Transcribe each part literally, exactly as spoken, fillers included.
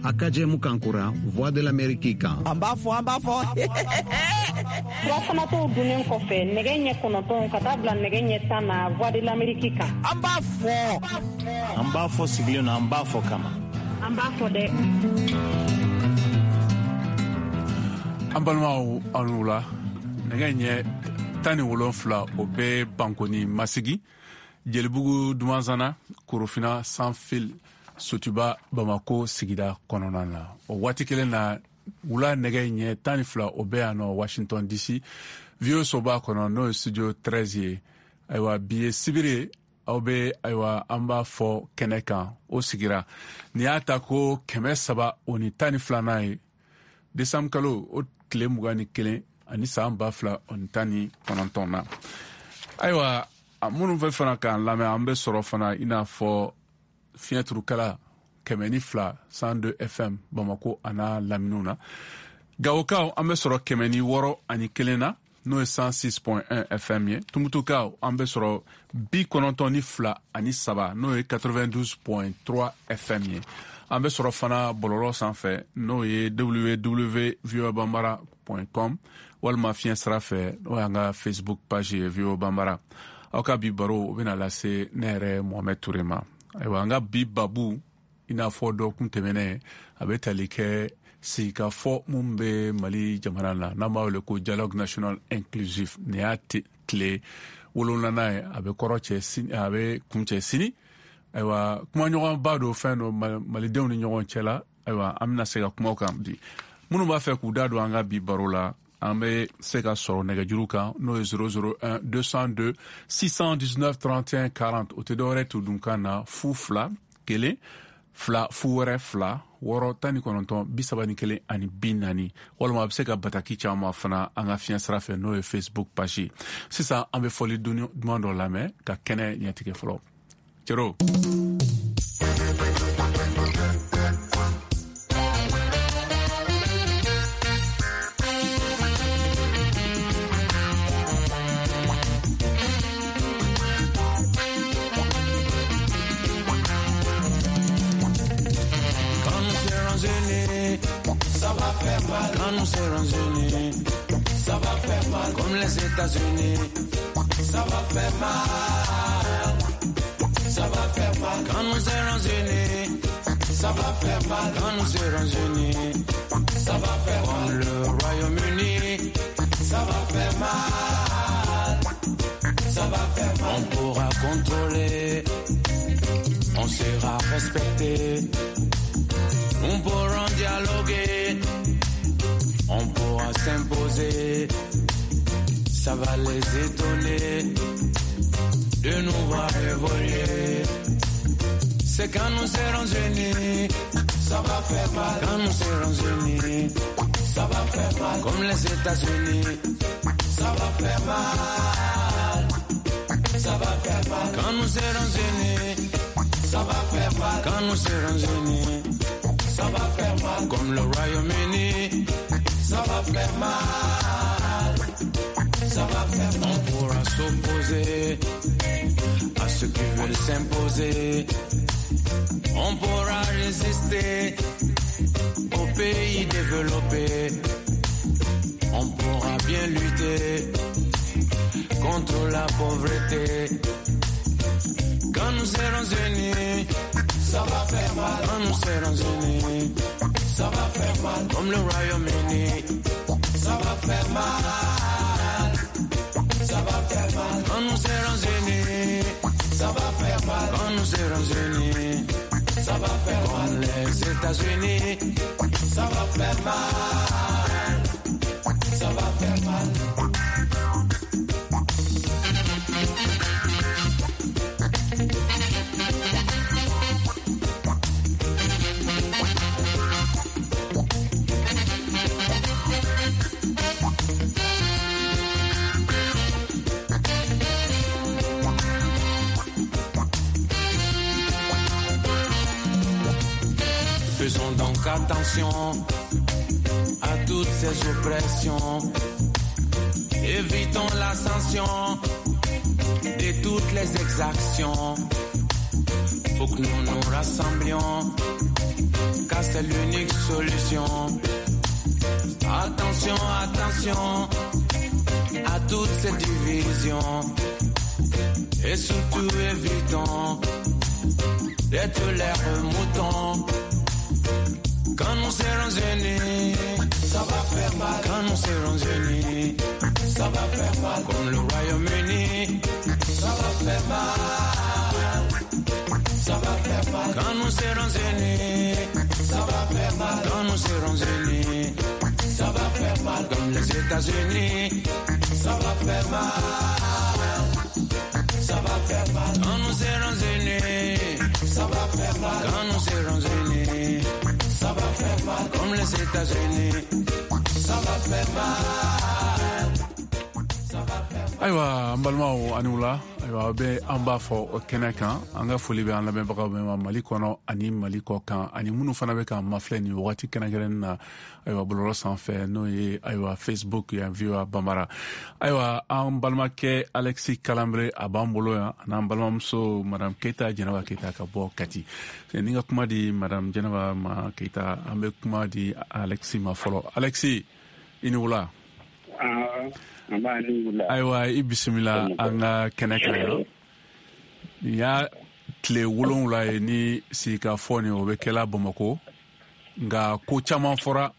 A ka jɛmukan kura Voix de l'Amérique kan. An b'a fɔ, an b'a fɔ. Furafanatɔw dunnen kɔfɛ nɛgɛ ɲɛ kɔnɔntɔn ka taa bila nɛgɛ ɲɛ tan na Voix de l'Amérique kan. An b'a fɔ. An b'a fɔ sigilen na, an b'a fɔ kama. An b'a fɔ dɛ. An balimaw, aw ni wula. Nɛgɛ ɲɛ tan ni wolonfila o bɛ Bankoni Masigi, Jelibugu Dumanzana, Korofina Sanfil, Sotuba Bamako sigida kɔnɔna na. O waati kelen na, wula nɛgɛ ɲɛ tan ni fila o bɛ yan nɔ Washington D C, V O A soba kɔnɔ, n'o ye studio treize ye. Ayiwa, bi ye sibiri, aw bɛ, ayiwa, an b'a fɔ kɛnɛ kan o sigira nin y'a ta ko kɛmɛ saba o ni tan ni filanan ye, desanburu kalo o tile mugan ni kelen ani san ba fila o ni tan ni kɔnɔntɔn na. Ayiwa, minnu bɛ fana k'an lamɛn, an bɛ sɔrɔ fana i n'a fɔ fiɲɛturukala kɛmɛ ni fila cent deux F M Bamako a n'a laminiw na. Gawokaw, an bɛ sɔrɔ kɛmɛ ni wɔɔrɔ ani kelen na, n'o ye cent six point un F M ye. Tumutukaw, an bɛ sɔrɔ bi kɔnɔntɔn ni fila ani saba, n'o ye quatre-vingt-douze point trois F M ye. An bɛ sɔrɔ fana bɔlɔlɔ sanfɛ, n'o ye W W V O A Bambara point com, walima fiɲɛ sira fɛ, n'o y'an ka Facebook page ye, V O A Bambara. Aw ka bi baro o bɛna lase ne yɛrɛ Mohamed Touré ma. Ayiwa, an ka bi babu, i n'a fɔ dɔgɔkun tɛmɛnen, a bɛ tali kɛ sigikafɔ mun bɛ Mali jamana na, n'an b'a wele ko dialogue national inclusif. Nin y'a tile wolonwulanan ye, a bɛ kɔrɔ cɛ sini, a bɛ kuncɛ sini. Ayiwa, kumaɲɔgɔnba don, fɛn don malidenw ni ɲɔgɔn cɛ la. Ayiwa, an bɛna se ka kuma o kan bi. Minnu b'a fɛ k'u da don an ka bi baro la, an bɛ se ka sɔrɔ nɛgɛjuru kan, n'o ye zéro zéro un deux cent deux six cent dix-neuf trente et un quarante. O tɛ dɔwɛrɛ tudunkan na, fu fila kelen fila fu wɛrɛ fila wɔɔrɔ tan ni kɔnɔntɔn bi saba ni kelen ani bi naani, walima a bɛ se ka bataki caman fana an ka fiɲɛ sira fɛ, n'o ye Facebook page ye. Sisan, an bɛ fɔli duman dɔ lamɛn ka kɛnɛ ɲɛtigɛ fɔlɔ. Cero. Quand nous serons unis, ça va faire mal. Quand nous serons unis, ça va faire mal. Comme les États-Unis, ça va faire mal. Ça va faire mal. Quand nous serons unis, ça va faire mal. Quand nous serons unis, ça va faire mal. Comme le Royaume-Uni, ça va faire mal. Ça va faire mal. On pourra contrôler, on sera respecté. Nous pourrons dialoguer, on pourra s'imposer. Ça va les étonner de nous voir évoluer. C'est quand nous serons unis, ça va faire mal. Quand nous serons unis, ça va faire mal. Comme les États-Unis, ça va faire mal. Ça va faire mal. Quand nous serons unis, ça va faire mal. Quand nous serons unis, ça va faire mal. Comme le Royaume-Uni, ça va faire mal. Ça va faire mal. On pourra s'opposer à ceux qui veulent s'imposer. On pourra résister aux pays développés. On pourra bien lutter contre la pauvreté. Quand nous serons unis, ça va faire mal. Quand nous serons unis, ça va faire mal. Comme le Royaume-Uni, ça va faire mal. Ça va faire mal. Quand nous serons unis, ça va faire mal. Quand nous serons unis, ça va faire mal. Comme les États-Unis, ça va faire mal. Ça va faire mal. Faisons donc attention à toutes ces oppressions. Évitons l'ascension de toutes les exactions. Faut que nous nous rassemblions, car c'est l'unique solution. Attention, attention à toutes ces divisions. Et surtout évitons d'être les moutons. Quand nous serons unis, ça va faire mal. Quand nous serons unis, ça va faire mal. Comme le Royaume-Uni, ça va faire mal. Ça va faire mal. Quand nous serons unis, ça va faire mal. Quand nous serons unis, ça va faire mal. Comme les États-Unis, ça va faire mal. Ça va faire mal. Quand nous serons unis, ça va faire mal. Quand nous serons unis, ça va faire mal. Comme les États-Unis, ça va faire mal. Ayiwa, an balimaw, ani wula. Ayiwa, aw bɛ an b'a fɔ o kɛnɛ kan. An ka foli bɛ an lamɛnbagaw bɛɛ ma Mali kɔnɔ ani Mali kɔ kan, ani minnu fana bɛ k'an mafilɛ nin wagati kɛrɛnkɛrɛnnen na, ayiwa, bɔlɔlɔ sanfɛ, n'o ye, ayiwa, Facebook yan, V O A Bambara. Ayiwa, an balimakɛ Alexis Kalanbre, a b'an bolo yan, an'an balimamuso Madame Keita, Jɛnɛba Keita, ka bɔ Kati. Ni ka kuma di Madame Jɛnɛba ma Keita, an bɛ kuma di Alexis ma fɔlɔ. Alexis, i ni wula. Ayiwa, i bisimila an ka kɛnɛ kan yan. Nin y'a tile wolonwula ye ni sigikafɔ nin o bɛ kɛla Bamako, nka ko caman fɔra.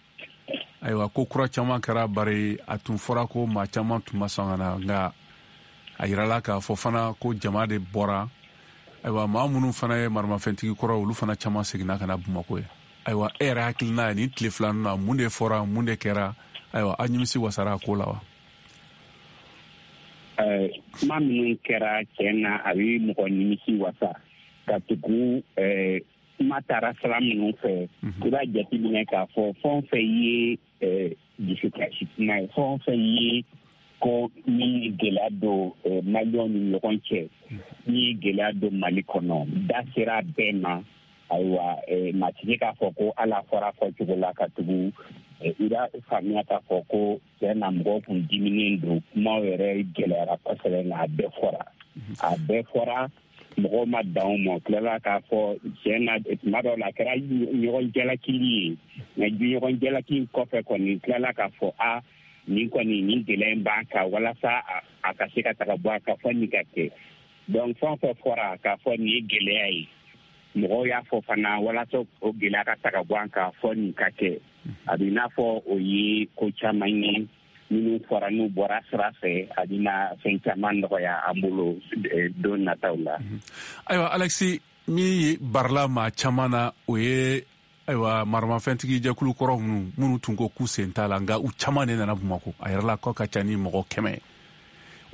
Ayiwa, ko kura caman kɛra, bari a tun fɔra ko maa caman tun ma sɔn ka na, nka a yirala k'a fɔ fana ko jama de bɔra. Ayiwa, maa minnu fana ye maramafɛntigi kɔrɔ, olu fana caman seginna ka na Bamako ye. Ayiwa, e yɛrɛ hakilina ye, nin tile filanin na, mun de fɔra, mun de kɛra? Ayiwa, aw nimisi wasara a ko la wa? Kuma minnu kɛra, tiɲɛ na, a bɛ mɔgɔ nimisi wasa, ka tugu kuma taara sira minnu fɛ. I b'a jateminɛ k'a fɔ fɛn o fɛn ye dusukasi kuma ye, fɛn o fɛn ye ko min ye gɛlɛya don Maliyɛnw ni ɲɔgɔn cɛ, min ye gɛlɛya don Mali kɔnɔ, da sera bɛɛ ma. Ayiwa, maa tɛ se k'a fɔ ko ala fɔra fɔ cogo la, ka tugu i b'a faamuya k'a fɔ ko tiɲɛ na, mɔgɔw kun diminen don. Kumaw yɛrɛ gɛlɛyara kosɛbɛ, nka a bɛɛ fɔra, a bɛɛ fɔra. Mɔgɔw ma dan o ma, tilala k'a fɔ tiɲɛ na, tuma dɔw la a kɛra ɲɔgɔn jalakili ye, nka ɲɔgɔn jalaki in kɔfɛ kɔni, tilala k'a fɔ a nin kɔni, nin gɛlɛya in b'an kan, walasa a ka se ka taga bɔ a kan, fɔ nin ka kɛ. Donc fɛn o fɛn fɔra k'a fɔ nin ye gɛlɛya ye, mɔgɔw y'a fɔ fana walasa o gɛlɛya ka taga bɔ an kan, fɔ nin ka kɛ. A bɛ n'a fɔ o ye ko caman ye minnu fɔra, n'u bɔra sira fɛ, a bɛna fɛn caman nɔgɔya an bolo don nataw la. Ayiwa, Alexis, min barila maa caman na, o ye, ayiwa, maramafɛntigi jɛkulu kɔrɔ minnu minnu tun ko k'u sen t'a la, nka u caman de nana Bamako. A yɛrɛ la k'aw ka ca ni mɔgɔ kɛmɛ.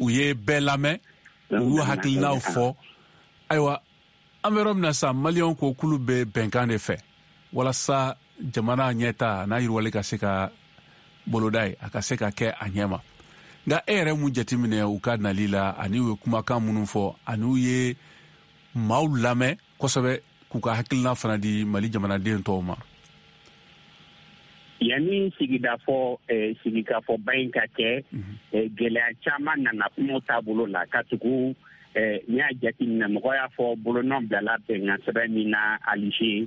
U ye bɛɛ lamɛn, u y'u hakilinaw fɔ. Ayiwa, an bɛ yɔrɔ min na sisan, Maliyɛnw ko k'olu bɛ bɛnkan de fɛ walasa jamana ɲɛta n'a yiriwali ka se ka boloda ye, a ka se ka kɛ a ɲɛ ma. Nka e yɛrɛ mun jateminɛ u ka nali la, ani u ye kumakan minnu fɔ, ani u ye maaw lamɛn kosɛbɛ k'u ka hakilina fana di Mali jamanaden tɔw ma? Yanni sigidafɔ sigikafɔba in ka kɛ, gɛlɛya caman nana kumaw taabolo la, ka tugu n'i y'a jateminɛ, mɔgɔ y'a fɔ bolonɔ bilala bɛnkan sɛbɛn min na Alger,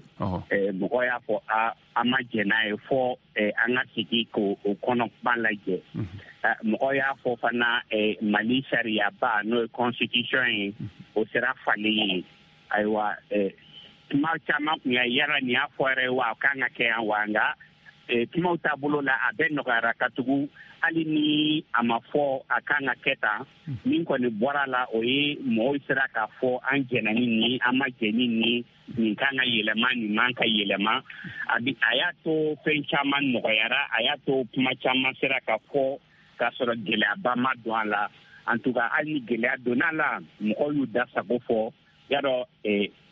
mɔgɔ y'a fɔ a an ma jɛn n'a ye, fɔ an ka sigi k'o kɔnɔ kuma lajɛ. Mɔgɔ y'a fɔ fana Mali sariyaba, n'o ye constitution ye, o sera falen ye. Ayiwa, kuma caman tun ya yala nin y'a fɔ yɛrɛ wa, a kan ka kɛ yan wa? Nka kumaw taabolo la, a bɛɛ nɔgɔyara, ka tugu hali ni a ma fɔ a kan ka kɛ tan, min kɔni bɔra la, o ye mɔgɔw sera k'a fɔ an jɛnna ni nin, an ma jɛn ni nin, nin kan ka yɛlɛma, nin man ka yɛlɛma. A bi a y'a to fɛn caman nɔgɔyara, a y'a to kuma caman sera ka fɔ k'a sɔrɔ gɛlɛyaba ma don a la. En tout cas, hali ni gɛlɛya donna a la, mɔgɔw y'u da sago fɔ. Yadɔ,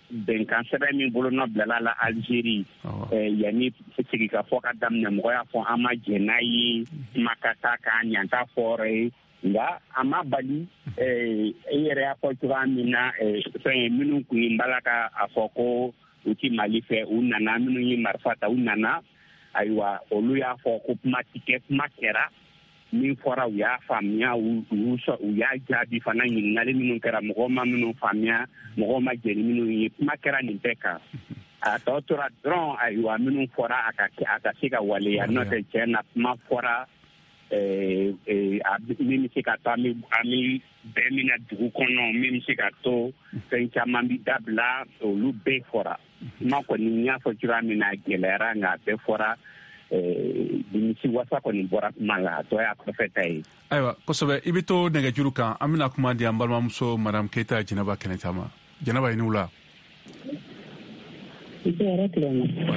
bɛnkan sɛbɛn min bolonɔ bilala la Algérie, yanni sigikafɔ ka daminɛ, mɔgɔ y'a fɔ an ma jɛn n'a ye, kuma ka taa k'an ɲan t'a fɔ yɔrɔ ye. Nka a ma bali, e yɛrɛ y'a fɔ cogoya min na, fɛn ye minnu kun ye bala ka a fɔ ko u ti Mali fɛ, u nana. Minnu ye marifa ta, u nana. Ayiwa, olu y'a fɔ ko kuma ti kɛ, kuma kɛra. Min fɔra u y'a faamuya, u u y'a jaabi fana. Ɲininkali minnu kɛra, mɔgɔw ma minnu faamuya, mɔgɔw ma jɛn ni minnu ye, kuma kɛra nin bɛɛ kan. A tɔ tora dɔrɔn, ayiwa, minnu fɔra a ka a ka se ka waleya. N'o tɛ, tiɲɛ na, kuma fɔra min bɛ se ka to an bɛ an bɛ bɛn min na dugu kɔnɔ, min bɛ se ka to fɛn caman bɛ dabila, olu bɛɛ fɔra. Kuma kɔni, n y'a fɔ cogoya min na, a gɛlɛyara, nka a bɛɛ fɔra. Nimisi wasa kɔni bɔra kuma la, a tɔ y'a kɔfɛ ta ye. Ayiwa, kosɛbɛ. I bɛ to nɛgɛjuru kan, an bɛna kuma di an balimamuso madame Keyita Jɛnɛba Kɛnɛta ma. Jɛnɛba, i ni wula.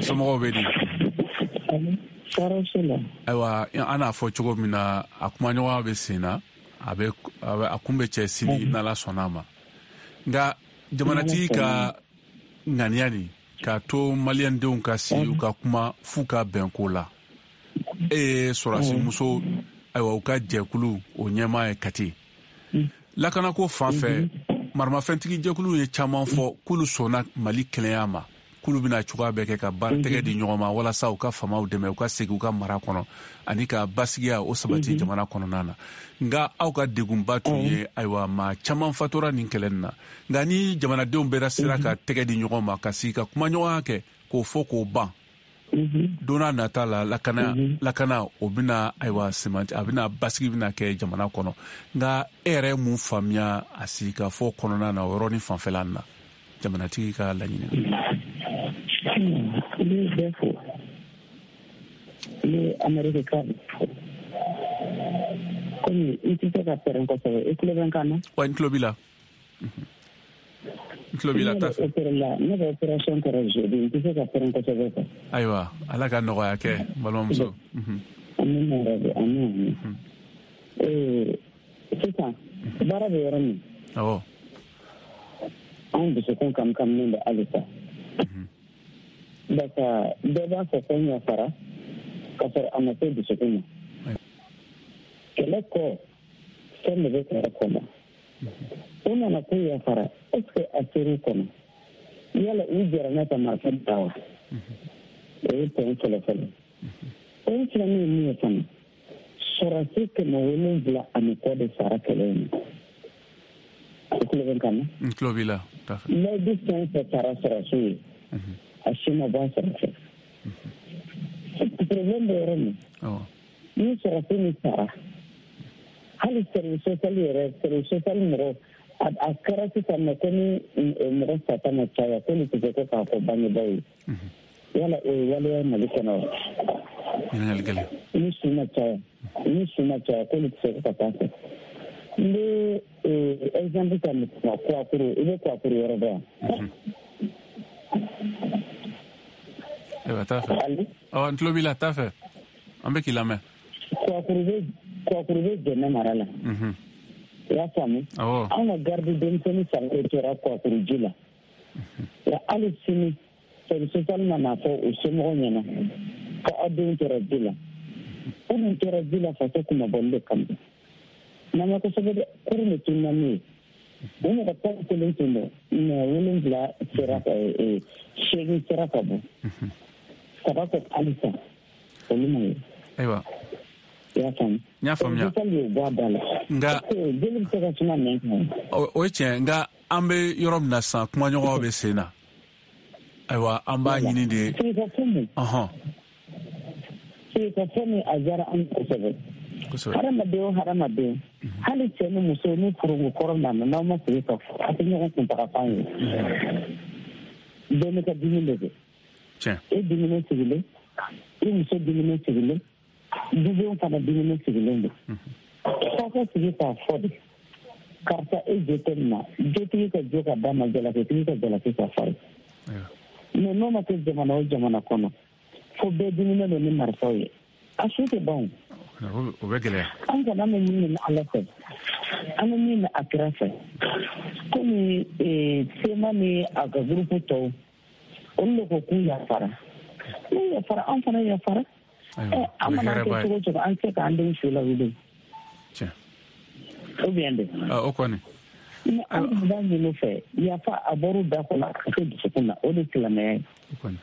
Somɔgɔw bɛ di? Ayiwa, an n'a fɔ cogo min na, a kumaɲɔgɔnya bɛ sen na, a bɛ a kun bɛ cɛ sini n'Ala sɔnna a ma. Nka jamanatigi ka ŋaniya nin k'a to maliyɛndenw ka sigi u ka kuma f'u ka bɛn ko la, e ye sɔrɔdasi muso, ayiwa, u ka jɛkulu o ɲɛmaa ye Kati. Lakanako fan fɛ, maramafɛntigi jɛkulu ye caman fɔ k'olu sɔnna Mali kelenya ma, k'olu bɛna cogoya bɛɛ kɛ ka baara tɛgɛ di ɲɔgɔn ma walasa u ka faamaw dɛmɛ u ka segin u ka mara kɔnɔ ani ka basigiya o sabati jamana kɔnɔna na. Nka aw ka degunba tun ye, ayiwa, maa caman fatura nin kɛlɛ nin na. Nka ni jamanadenw bɛɛ sera ka tɛgɛ di ɲɔgɔn ma ka sigi ka kumaɲɔgɔnya kɛ k'o fɔ k'o ban, don n'a nata la, lakana lakana o bɛna, ayiwa, semanti, a bɛna basigi bɛna kɛ jamana kɔnɔ. Nka e yɛrɛ ye mun faamuya a sigikafɔ kɔnɔna na o yɔrɔnin fanfɛla na, jamanatigi ka laɲini na? N bɛ bɛɛ fo, n bɛ Amérique ka fo. Komi i tɛ se ka pɛrɛn kosɛbɛ, i tulo bɛ n kan na? Wa, n tulo b'i la. N tulo b'i la, taa fɛ. Ne ka opération kɛra jeudi, n tɛ se ka pɛrɛn kosɛbɛ quoi. Ayiwa, Ala ka nɔgɔya kɛ, n balimamuso. Amina yarabi, amina amina. Ee, sisan baara bɛ yɔrɔ min? Awɔ. Anw dusukun kamkaminen bɛ halisa. Barisa bɛɛ b'a fɔ ko n yafara, k'a sɔrɔ a ma se dusukun ma. Kɛlɛ kɔ, fɛn de bɛ kɛlɛ kɔnɔ. U nana k'u yafara, est ce que a ser'u kɔnɔ? Yala u jɛra n'a ka marifa da wa? O ye point fɔlɔ fɔlɔ. Point filanan ye min ye fana, sɔrɔdasi kɛmɛ wolonwula ani kɔ de sara kɛlɛ in na. I tulo bɛ n kan na? N tulo b'i la. Layidu fɛn fɛn taara sɔrɔdasiw ye, a si ma bɔ a sɔrɔ fɛ. Problème bɛ yɔrɔ min, ni sɔrɔdasi min sara, hali service social yɛrɛ, service social mɔgɔ, a kɛra sisan nɔ ko ni mɔgɔ sata ma caya k'olu tɛ se ko k'a fɔ bangebaaw ye. Yala o ye waleya Mali kɔnɔ wa? Ɲininkali gɛlɛn. Ni su ma caya, ni su ma caya k'olu tɛ se ko ka taa fɛ. N bɛ exemple ta Kuwakuru, i bɛ Kuwakuru yɔrɔ dɔn wa? Ayiwa, taa fɛ. Ɔ, n tulo b'i la, taa fɛ. An bɛ k'i lamɛn. Kuwakuru bɛ Kuwakuru bɛ Jɛnɛ mara la. I y'a faamu? Awɔ. Anw ka garde denmisɛnnin saba de tora Kuwakuru ji la. Wa hali sini, service social ma n'a fɔ u somɔgɔw ɲɛna ko aw denw tora ji la. U dun tora ji la faso kunmabɔli de kama. N'an ma kosɛbɛ dɛ, kurun de tununna n'u ye. U mɔgɔ tan ni kelen tun don, mɛ wolonwula sera ka seegin sera ka bɔ. Saba ko halisa olu ma ye. Ayiwa. I y'a faamu? N y'a faamuya. Nka jeli bɛ se ka suma nɛn kan. O ye tiɲɛ, nka an bɛ yɔrɔ min na sisan, kumaɲɔgɔnw bɛ sen na. Ayiwa, an b'a ɲini de. Sigikafɔ min. Ɔhɔn. Sigikafɔ min a diyara an kosɛbɛ. Hadamaden o hadamaden, hali cɛ ni muso ni furuko kɔrɔ nana, n'aw ma sigi ka fɔ, a tɛ ɲɔgɔn kuntagafan ye. Bɛɛ n'i ka dimi de don. Tiɲɛ. E diminen sigilen, i muso diminen sigilen, dudenw fana diminen sigilen don. F'aw ka sigi k'a fɔ de, karisa e jo tɛ nin na, jotigi ka jo ka d'a ma, jalakitigi ka jalaki ka f'a ye. Mais n'o ma kɛ jamana o jamana kɔnɔ, fo bɛɛ diminen don ni marifaw ye, a su tɛ ban o. O bɛ gɛlɛya. An kɔni an bɛ min ɲini Ala fɛ, an bɛ min ɲini a kira fɛ, komi C M A ni a ka groupe tɔw, olu de ko k'u yafara. N'u yafara, an fana yafara. An mana kɛ cogo o cogo, an tɛ se k'an denw su lawuli. Tiɲɛ. Ou bien de. O kɔni. An b'a ɲini u fɛ, yafa a bɔr'u da kɔnɔ a ka kɛ dusukun na, o de ye silamɛya ye. O kɔni.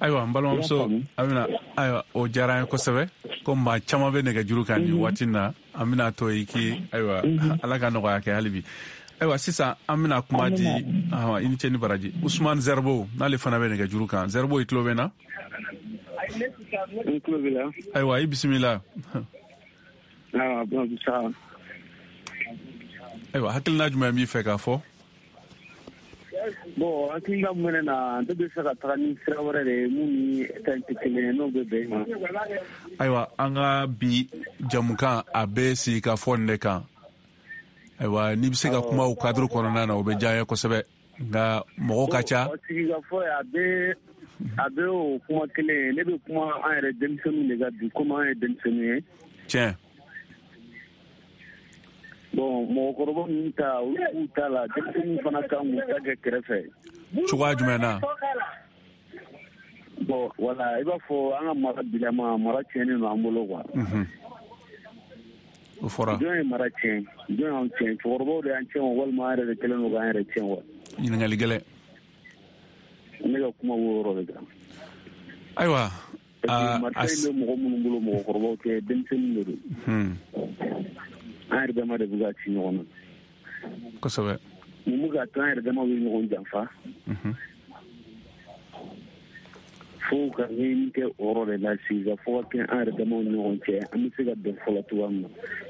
Ayiwa n balimamuso Amina, ayiwa o diyara an ye kosɛbɛ. Ko maa caman bɛ nɛgɛjuru kan nin waati in na, an bɛna to i k'i ayiwa Ala ka nɔgɔya kɛ hali bi. Ayiwa sisan an bɛna kuma di i ni ce ni baraji Usumani Zɛribo, n'ale fana bɛ nɛgɛjuru kan. Zɛribo, i tulo bɛ n na? N tulo b'i la. Ayiwa i bisimila. Ayiwa hakilina jumɛn b'i fɛ k'a fɔ? Bon, hakilina min bɛ ne na, ne bɛ fɛ ka taga ni sira wɛrɛ de ye mun ni ta in tɛ kelen ye, n'o bɛ bɛn i ma. Ayiwa an ka bi jamukan a bɛ sigi ka fɔ nin de kan. Ayiwa n'i bɛ se ka kuma o cadre kɔnɔna na, o bɛ diya n ye kosɛbɛ, nka mɔgɔw ka ca. Sigikafɔ a bɛ a bɛ o kuma kelen ye. Ne bɛ kuma an yɛrɛ denmisɛnninw de ka bi, komi an ye denmisɛnninw ye. Tiɲɛ. Bon, mɔgɔkɔrɔba ninnu ta, olu b'u ta la, denmisɛnninw fana kan k'u ta kɛ kɛrɛfɛ. Cogoya jumɛn na? Bon, voilà, i b'a fɔ an ka mara bilama, mara tiɲɛnen don an bolo quoi. O fɔra. Jɔn ye mara tiɲɛ? Jɔn y'an tiɲɛ? Cɛkɔrɔbaw de y'an tiɲɛ o, walima an yɛrɛ de kɛlen don k'an yɛrɛ tiɲɛ wa? Ɲininkali gɛlɛn. Ne ka kuma b'o yɔrɔ de kan. Ayiwa. Marifa in bɛ mɔgɔ minnu bolo, mɔgɔkɔrɔbaw tɛ, denmisɛnninw de don. An yɛrɛ dama de bɛ ka ci ɲɔgɔn na. Kosɛbɛ. Mun bɛ ka to an yɛrɛ dama bɛ ɲɔgɔn janfa? Fo ka ɲɛɲini kɛ o yɔrɔ de la, sigikafɔ ka kɛ an yɛrɛ damaw ni ɲɔgɔn cɛ, an bɛ se ka bɛn fɔlɔ cogoya min na.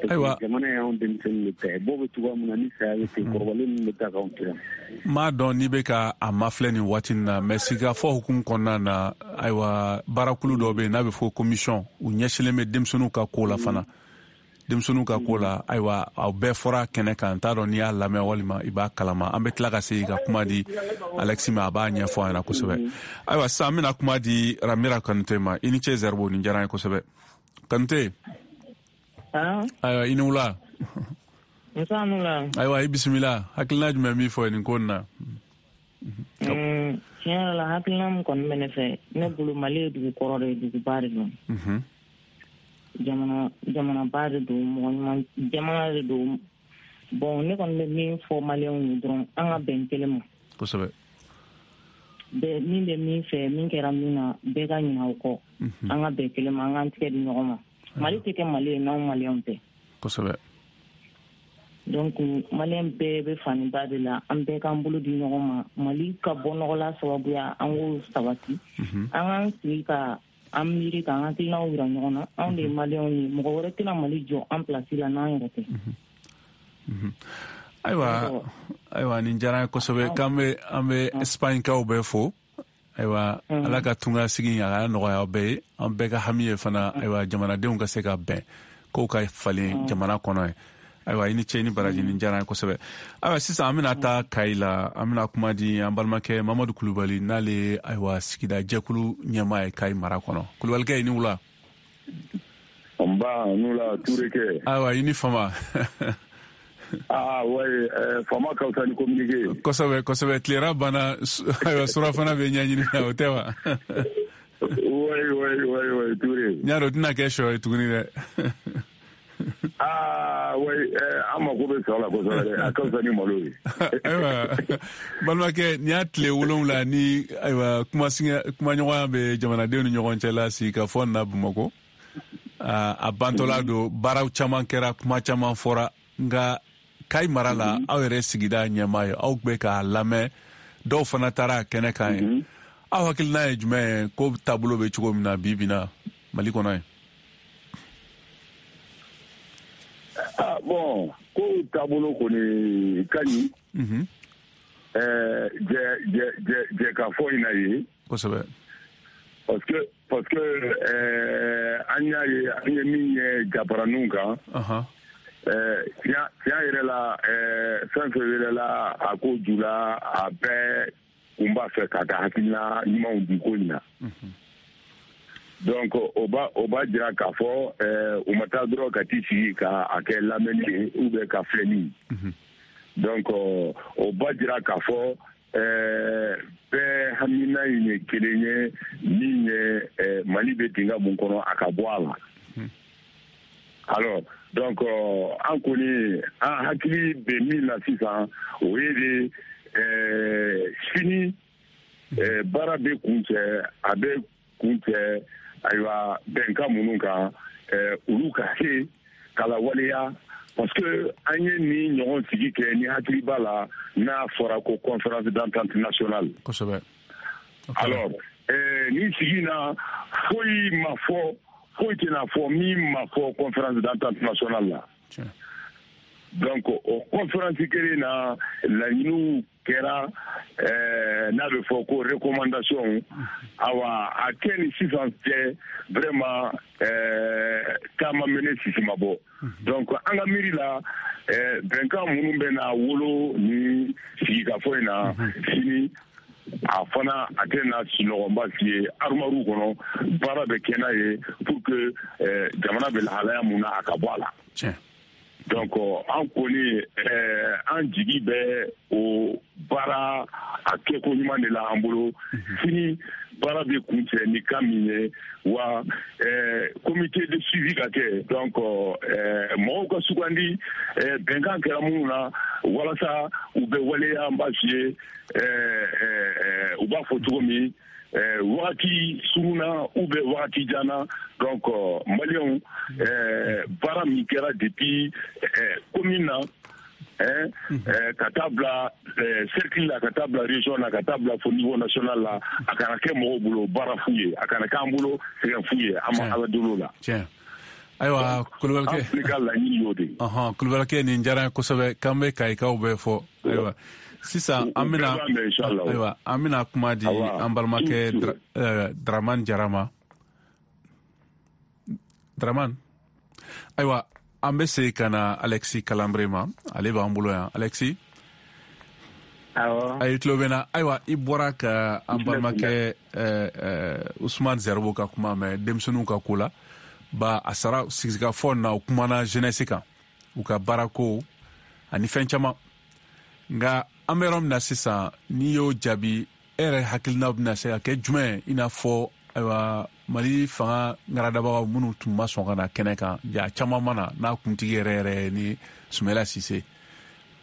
Ayiwa. Jamana y'anw denmisɛnninw de ta ye. Bɔ bɛ cogoya min na, ni saya bɛ ten, kɔrɔbalen ninnu bɛ taa k'anw to yan. N m'a dɔn n'i bɛ ka a mafilɛ nin waati in na, mais sigikafɔ hukumu kɔnɔna na, ayiwa baarakulu dɔ bɛ yen n'a bɛ fɔ commission, u ɲɛsinlen bɛ denmisɛnninw ka ko la fana. Denmisɛnninw ka ko la, ayiwa aw bɛɛ fɔra kɛnɛ kan, n t'a dɔn n'i y'a lamɛn walima i b'a kalama. An bɛ tila ka segin ka kuma di Alexis ma, a b'a ɲɛfɔ an ɲɛna kosɛbɛ. Ayiwa sisan an bɛna kuma di Ramira Kanute ma. I ni ce Zɛribo, nin diyara an ye kosɛbɛ. Kanute. Ayiwa i ni wula. Ayiwa i bisimila. Hakilina jumɛn b'i fɔ nin ko in na? Tiɲɛ yɛrɛ la, hakilina min kɔni bɛ ne fɛ, ne bolo Mali ye dugu kɔrɔ de ye, duguba de don. Jamana jamanaba de don, mɔgɔ ɲuman jamana de don. Bon, ne kɔni bɛ min fɔ maliyɛnw ye dɔrɔn, an ka bɛn kelen ma. Kosɛbɛ. Bɛɛ min bɛ min fɛ, min kɛra min na, bɛɛ ka ɲinɛ o kɔ. An ka bɛn kelen ma, an k'an tigɛ di ɲɔgɔn ma. Mali tɛ kɛ Mali ye n'anw maliyɛnw tɛ. Kosɛbɛ. Donc maliyɛn bɛɛ bɛ faniba de la, an bɛɛ k'an bolo di ɲɔgɔn ma. Mali ka bɔ nɔgɔ la sababuya, an k'o sabati. An k'an sigi ka an miiri k'an hakilinaw yira ɲɔgɔn na. Anw de ye maliyɛnw ye, mɔgɔ wɛrɛ tɛna Mali jɔ an pilasi la n'an yɛrɛ tɛ. Ayiwa ayiwa nin diyara n ye kosɛbɛ. K'an bɛ an bɛ Espagnekaw bɛɛ fo. Ayiwa Ala ka tunga sigi a ka nɔgɔya bɛɛ ye. An bɛɛ ka hami ye fana, ayiwa jamanadenw ka se ka bɛn, kow ka falen jamana kɔnɔ ye. Ayiwa i ni ce ni baraji, nin diyara n ye kosɛbɛ. Ayiwa sisan an bɛna taa Kayi la, an bɛna kuma di an balimakɛ Mamadu Kulubali, n'ale ye ayiwa sigida jɛkulu ɲɛmaa ye Kayi mara kɔnɔ. Kulubalikɛ, i ni wula. Nba, n wula Ture kɛ. Ayiwa i ni fama. Ah ouais, fama ka fisa ni communiqué. Kosɛbɛ kosɛbɛ, tilera banna, ayiwa surafana bɛ ɲɛɲini na, o tɛ wa? Oui oui oui oui Ture. N y'a dɔn o tɛna kɛ sɔ ye tuguni dɛ. Ah oui, an mako bɛ sɔrɔ la kosɛbɛ dɛ, a ka fisa ni malo ye. Ayiwa balimakɛ, nin y'a tile wolonwula ni ayiwa kumaɲɔgɔnya bɛ jamanadenw ni ɲɔgɔn cɛ la sigikafɔ na Bamakɔ. A bantɔla don, baaraw caman kɛra, kuma caman fɔra, nka Kayi mara la, aw yɛrɛ sigida ɲɛmaa ye, aw bɛ k'a lamɛn, dɔw fana taara a kɛnɛ kan ye. Aw hakilina ye jumɛn ye ko taabolo bɛ cogo min na bi bi in na Mali kɔnɔ ye? Ah bon, ko taabolo kɔni ka ɲi. Ɛɛ jɛ jɛ jɛ jɛ ka fɔ in na ye. Kosɛbɛ. Parce que parce que ɛɛ an y'a ye, an ye min ye jabaraninw kan. Ɛɛ tiɲɛ tiɲɛ yɛrɛ la, ɛɛ fɛn fɛn yɛrɛ la a ko ju la, a bɛɛ kun b'a fɛ k'a ka hakilina ɲumanw di ko in na. Donc o b'a o b'a jira k'a fɔ ɛɛ u ma taa dɔrɔn ka t'i sigi ka a kɛ lamɛnni ye ou bien ka filɛli. Donc o b'a jira k'a fɔ ɛɛ bɛɛ hamina in ye kelen ye, min ye ɛɛ Mali bɛ dingɛ mun kɔnɔ a ka bɔ a la. Alors donc an kɔni an hakili bɛ min na sisan, o ye de ɛɛ sini Baara bɛ kuncɛ, a bɛ kuncɛ ayiwa bɛnkan minnu kan, olu ka se ka lawaleya, parce que an ye nin ɲɔgɔn sigi kɛ ni hakili b'a la n'a fɔra ko conférence d'entente nationale. Kosɛbɛ. Alors nin sigi na foyi ma fɔ, foyi tɛna fɔ min ma fɔ conférence d'entente nationale la. Donc o conférence kelen na laɲiniw kɛra, n'a bɛ fɔ ko recommandation, awa a kɛ ni sisan cɛ vraiment taama mɛnɛ sisi ma bɔ. Donc an ka miiri la, bɛnkan minnu bɛ na wolo ni sigikafɔ in na sini, a fana a tɛ na sunɔgɔba si ye armoire kɔnɔ, baara bɛ kɛ n'a ye pour que jamana bɛ lahalaya mun na a ka bɔ a la. Donc an kɔni an jigi bɛ o baara a kɛko ɲuman de la an bolo. Sini baara bɛ kuncɛ ni kan min ye, wa comité de suivi ka kɛ, donc mɔgɔw ka sugandi bɛnkan kɛra minnu na walasa u bɛ waleya, an b'a f'i ye u b'a fɔ cogo min wagati surunna ou bien wagati jan na. Donc maliyɛnw, baara min kɛra depuis commune na ka taa bila cercle la, ka taa bila région na, ka taa bila fo niveau national la, a kana kɛ mɔgɔw bolo baara fu ye, a kana k'an bolo sɛgɛn fu ye, an ma Ala deli o la. Ayiwa Kulubalikɛ, an ka laɲini y'o de ye. Ɔhɔn, Kulubalikɛ, nin diyara n ye kosɛbɛ, k'an bɛ Kayikaw bɛɛ fɔ. Ayiwa sisan an bɛna, ayiwa an bɛna kuma di an balimakɛ Dramane Jara ma. Dramane, ayiwa an bɛ segin ka na Alexis Kalanbre ma, ale b'an bolo yan. Alexis, awɔ, ayi tulo bɛ n na. Ayiwa i bɔra ka an balimakɛ Ousmane Zerbo ka kuma mɛn denmisɛnninw ka ko la. Ba a sara sigikafɔ na, u kumana jeunesse kan, u ka baarako ani fɛn caman. Nka an bɛ yɔrɔ min na sisan, n'i y'o jaabi, e yɛrɛ hakilina bɛna se ka kɛ jumɛn? I n'a fɔ ayiwa Mali fanga ŋaradabagaw minnu tun ma sɔn ka na kɛnɛ kan, ja caman ma na, n'a kuntigi yɛrɛ yɛrɛ ni Sumala Sise.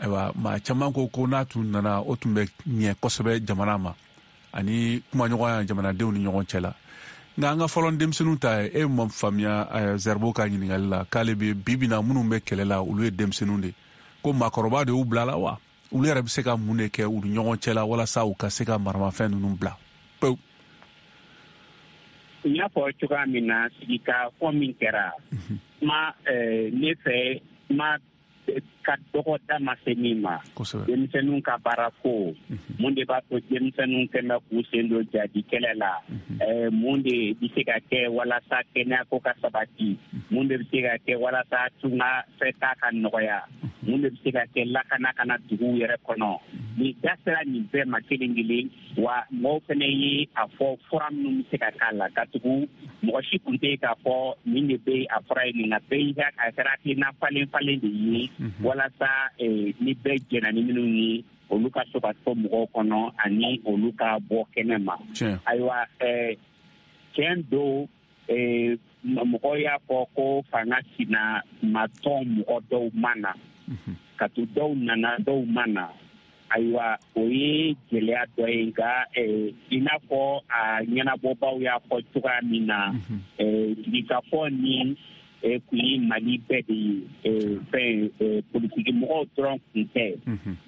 Ayiwa maa caman ko ko n'a tun nana, o tun bɛ ɲɛ kosɛbɛ jamana ma ani kumaɲɔgɔnya jamanadenw ni ɲɔgɔn cɛ la. Nka an ka fɔlɔ denmisɛnninw ta ye, e ma faamuya Zerbo ka ɲininkali la k'ale bɛ bi bi na minnu bɛ kɛlɛ la, olu ye denmisɛnninw de, ko maakɔrɔba de y'u bila la wa? Olu yɛrɛ bɛ se ka mun de kɛ u ni ɲɔgɔn cɛ la walasa u ka se ka maramafɛn ninnu bila pewu? N y'a fɔ cogoya min na, sigikafɔ min kɛra, kuma ne fɛ kuma ka dɔgɔ da ma se min ma. Denmisɛnninw ka baara ko, mun de b'a to denmisɛnninw kɛn bɛ k'u sen don jadi kɛlɛ la, mun de bɛ se ka kɛ walasa kɛnɛyako ka sabati, mun de bɛ se ka kɛ walasa tunga fɛta ka nɔgɔya, mun de bɛ se ka kɛ lakana ka na duguw yɛrɛ kɔnɔ. Nin da sera nin bɛɛ ma kelen kelen, wa mɔgɔw fana ye a fɔ fura minnu bɛ se ka k'a la, ka tugu mɔgɔ si tun tɛ k'a fɔ nin de bɛ a fura ye nin, nka bɛɛ y'i ka a kɛra hakilina falen falen de ye, walasa ni bɛɛ jɛnna ni minnu ye, olu ka so ka to mɔgɔw kɔnɔ ani olu ka bɔ kɛnɛ ma. Ayiwa tiɲɛ don, mɔgɔw y'a fɔ ko fanga sina ma tɔn mɔgɔ dɔw ma na, ka to dɔw nana dɔw ma na. Ayiwa o ye gɛlɛya dɔ ye, nka i n'a fɔ a ɲɛnabɔbaw y'a fɔ cogoya min na, sigikafɔ ni kun ye Mali bɛɛ de ye, fɛn politiki mɔgɔw dɔrɔn kun tɛ.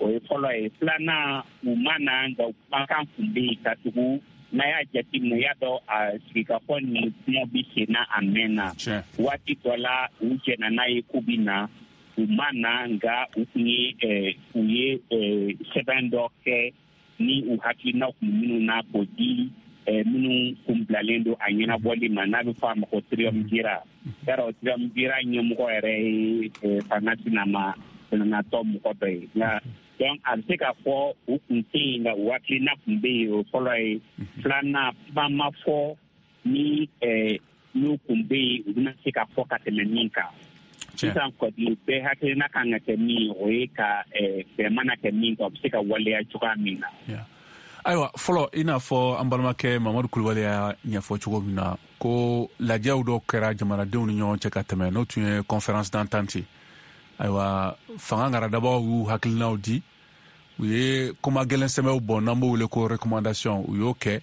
O ye fɔlɔ ye. Filanan, u ma na, nka kumakan kun bɛ yen, ka tugu n'a y'a jateminɛ, i y'a dɔn a sigikafɔ ni kuma bɛ sen na a mɛnna. Waati dɔ la u jɛnna n'a ye k'u bɛ na, u ma na, nka u kun ye u ye sɛbɛn dɔ kɛ ni u hakilinaw kun minnu na k'o di minnu kun bilalen don a ɲɛnabɔli ma, n'a bɛ fɔ a ma ko triumvirat. Yarɔ triumvirat ɲɛmɔgɔ yɛrɛ ye fanga sinama sinanatɔ mɔgɔ dɔ ye. Nka donc a bɛ se k'a fɔ u kun tɛ yen, nka u hakilina kun bɛ yen, o fɔlɔ ye. Filanan, kuma ma fɔ ni n'u kun bɛ yen, u bɛna se ka fɔ ka tɛmɛ min kan. Sisan kɔni bɛɛ hakilina kan ka kɛ min ye, o ye ka bɛn mana kɛ min kan, o bɛ se ka waleya cogoya min na. Ayiwa fɔlɔ, i n'a fɔ an balimakɛ Mamadu Kulubali y'a ɲɛfɔ cogo min na, ko lajɛw dɔw kɛra jamanadenw ni ɲɔgɔn cɛ ka tɛmɛ, n'o tun ye conférence d'entente. Ayiwa fanga ŋaradabaw y'u hakilinaw di, U ye kuma gɛlɛn sɛbɛnw bɔ n'an b'o wele ko recommandation, u y'o kɛ,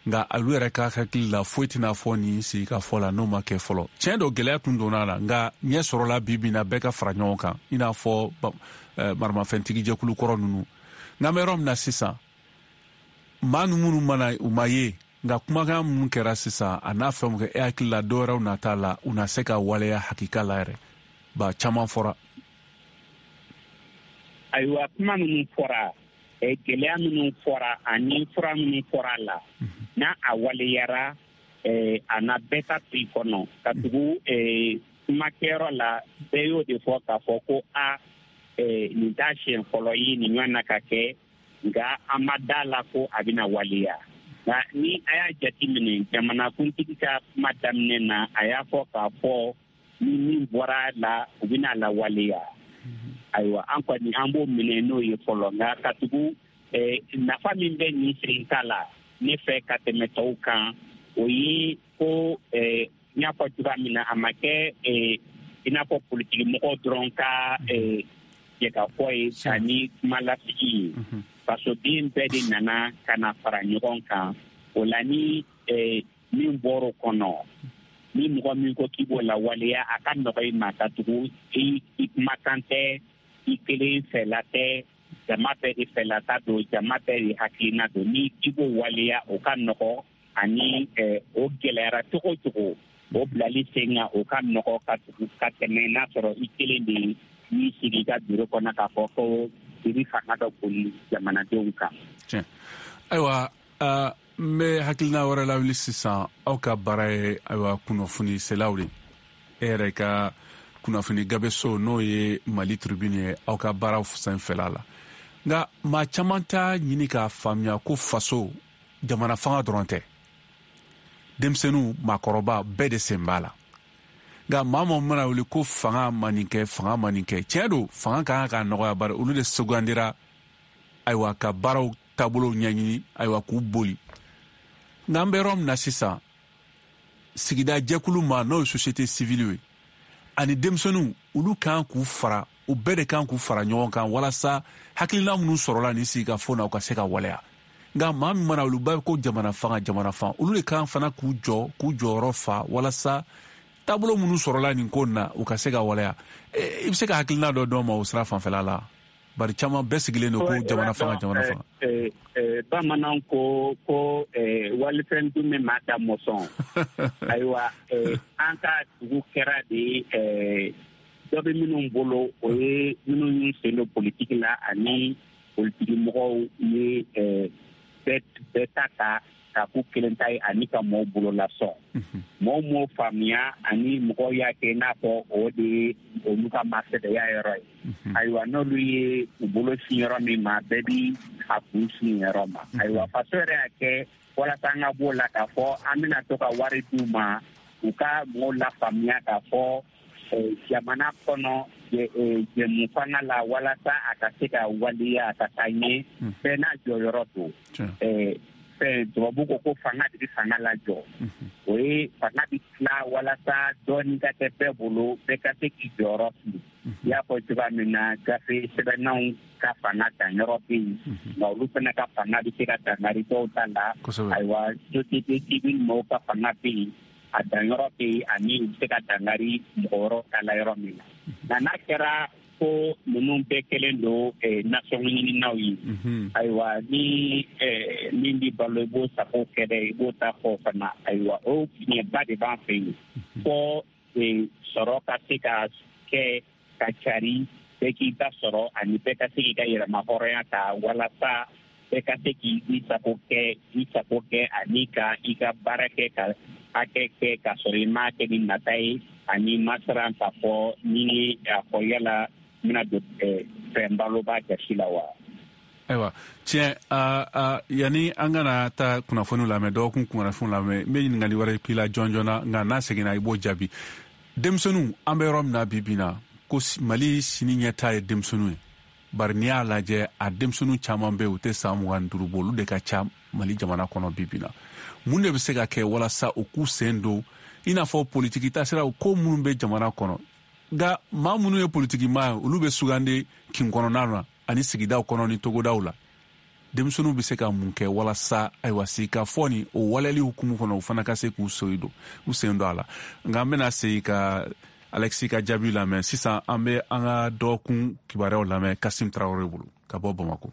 nka olu yɛrɛ ka hakili la foyi tɛna fɔ nin sigikafɔ la n'o ma kɛ fɔlɔ. Tiɲɛ don, gɛlɛya tun donna a la, nka ɲɛ sɔrɔla bi bi in na, bɛɛ ka fara ɲɔgɔn kan, i n'a fɔ maramafɛntigi jɛkulu kɔrɔ ninnu. Nka an bɛ yɔrɔ min na sisan, maa minnu mana u ma ye, nka kumakan minnu kɛra sisan a n'a fɛnw kɛ, e hakili la dɔwɛrɛw nata la u na se ka waleya hakika la yɛrɛ ba caman fɔra? Ayiwa, kuma minnu fɔra, gɛlɛya minnu fɔra ani fura minnu fɔra a la, n'a a waleyara, a na bɛɛ ta to i kɔnɔ. Ka tugu kumakɛyɔrɔ la, bɛɛ y'o de fɔ k'a fɔ ko a nin t'a siɲɛ fɔlɔ ye nin ɲɔgɔn na ka kɛ, nka an ma da la ko a bɛna waleya. Nka ni a y'a jateminɛ, jamanakuntigi ka kuma daminɛ na, a y'a fɔ k'a fɔ ni min bɔra la, u bɛna lawaleya. Ayiwa, an kɔni an b'o minɛ n'o ye fɔlɔ. Nka ka tugu nafa min bɛ nin sen ta la ne fɛ ka tɛmɛ tɔw kan, o ye ko n y'a fɔ cogoya min na, a ma kɛ i n'a fɔ politiki mɔgɔw dɔrɔn ka jɛkafɔ ye ani kuma lasigi ye. Fasoden bɛɛ de nana ka na fara ɲɔgɔn kan. O la, ni min bɔr'o kɔnɔ, ni mɔgɔ min ko k'i b'o lawaleya, a ka nɔgɔ i ma, ka tugu i kumakan tɛ, i kelen fɛla tɛ, jama bɛɛ de fɛlata don, jama bɛɛ de hakilina don. Ni i b'o waleya, o ka nɔgɔ, ani o gɛlɛyara cogo o cogo, o bilali sen kan, o ka nɔgɔ ka tugu ka tɛmɛ n'a sɔrɔ i kelen de y'i sigi i ka biro kɔnɔ k'a fɔ ko i bɛ fanga dɔ boli jamanadenw kan. Tiɲɛ. Ayiwa, n bɛ hakilina wɛrɛ lawuli sisan. Aw ka baara ye ayiwa kunnafoni selaw de, e yɛrɛ ka kunnafoni gabeso n'o ye Mali Tribune ye, aw ka baaraw sanfɛla la. Nka maa caman t'a ɲini k'a faamuya ko faso jamana fanga dɔrɔn tɛ, denmisɛnninw, maakɔrɔba bɛɛ de sen b'a la. Nka maa minnu mana wuli ko fanga ma nin kɛ, fanga ma nin kɛ, tiɲɛ don, fanga ka kan k'a nɔgɔya, bari olu de sugandira ayiwa ka baaraw taabolow ɲɛɲini, ayiwa k'u boli. Nka an bɛ yɔrɔ min na sisan, sigida jɛkulu ma n'o ye société civile ye ani denmisɛnninw, olu kan k'u fara, u bɛɛ de kan k'u fara ɲɔgɔn kan walasa hakilina minnu sɔrɔla nin sigikafo na, u ka se ka waleya. Nka maa min mana olu b'a ko jamana fanga, jamana fanga, olu de kan fana k'u jɔ, k'u jɔyɔrɔ fa walasa taabolo minnu sɔrɔla nin ko na, u ka se ka waleya. I bɛ se ka hakilina dɔ d'an ma o sira fanfɛla la? Bari caman bɛɛ sigilen don ko jamana fanga, jamana fanga. Bamananw ko ko walifɛn dun bɛ maa da mɔsɔn. Ayiwa, an ka dugu kɛra de dɔ bɛ minnu bolo, o ye minnu y'u sen don politiki la ani politiki mɔgɔw ye bɛɛ ta ta ka k'u kelen ta ye ani ka mɔgɔw bolo lasɔn. Mɔgɔw m'o faamuya, ani mɔgɔw y'a kɛ i n'a fɔ o de ye olu ka masɛbɛya yɔrɔ ye. Ayiwa, n'olu ye u bolo sin yɔrɔ min ma, bɛɛ bi a kun sin yɔrɔ ma. Ayiwa, faso yɛrɛ y'a kɛ walasa an ka b'o la k'a fɔ an bɛna to ka wari d'u ma, u ka mɔgɔw lafaamuya k'a fɔ jamana kɔnɔ jɛmu fanga la, walasa a ka se ka waleya a ka taa ɲɛ, bɛɛ n'a jɔyɔrɔ don. Fɛn tubabu ko ko fanga de bɛ fanga lajɔ, o ye fanga bɛ tila walasa dɔɔnin ka kɛ bɛɛ bolo, bɛɛ ka se k'i jɔyɔrɔ fi. I y'a fɔ cogoya min na, gafe sɛbɛnnaw ka fanga danyɔrɔ bɛ yen, nka olu fana ka fanga bɛ se ka dankari dɔw ta la. Ayiwa, société civile mɔgɔw ka fanga bɛ yen, a danyɔrɔ bɛ yen, ani u bɛ se ka dankari mɔgɔ wɛrɛw ta la yɔrɔ min na. Nka n'a kɛra ko ninnu bɛɛ kɛlen don nasɔngɔ ɲininaw ye, ayiwa, ni min b'i balo i b'o sago kɛ dɛ, i b'o ta fɔ fana. Ayiwa, o fiɲɛba de b'an fɛ yen fɔ sɔrɔ ka se ka kɛ ka cari, bɛɛ k'i ta sɔrɔ ani bɛɛ ka se k'i ka yɛrɛmahɔrɔnya ta, walasa bɛɛ ka se k'i sago kɛ, i sago kɛ ani ka i ka baara kɛ ka hakɛ kɛ ka sɔrɔ i m'a kɛ ni nata ye, ani ma siran k'a fɔ ni a fɔ yala n bɛna don fɛn balo b'a jasi la wa. Ayiwa, tiɲɛ, yanni an kana taa kunnafoniw lamɛn, dɔgɔkun kunnafoniw lamɛn, n bɛ ɲininkali wɛrɛ k'i la jɔn joona, nka n'a seginna i b'o jaabi. Denmisɛnninw, an bɛ yɔrɔ min na bi bi in na, ko Mali sini ɲɛta ye denmisɛnninw ye. Bari n'i y'a lajɛ, a denmisɛnninw caman bɛ yen, u tɛ san mugan ni duuru bɔ, olu de ka ca Mali jamana kɔnɔ bi bi in na. Mun de bɛ se ka kɛ walasa u k'u sen don i n'a fɔ politiki taasiraw ko minnu bɛ jamana kɔnɔ? Nka maa minnu ye politiki maa ye, olu bɛ sugandi kin kɔnɔna na. ani sigidaw kɔnɔ ni togodaw la, denmisɛnninw bɛ se ka mun kɛ walasa ayiwa sigikafɔ ni o waleyali hukumu kɔnɔ, u fana ka se k'u sen don u sen don a la? Nka an bɛna segin ka Alexis ka jaabi lamɛn. Sisan an bɛ an ka dɔgɔkun kibaruyaw lamɛn Kasim Tarawele bolo ka bɔ Bamakɔ.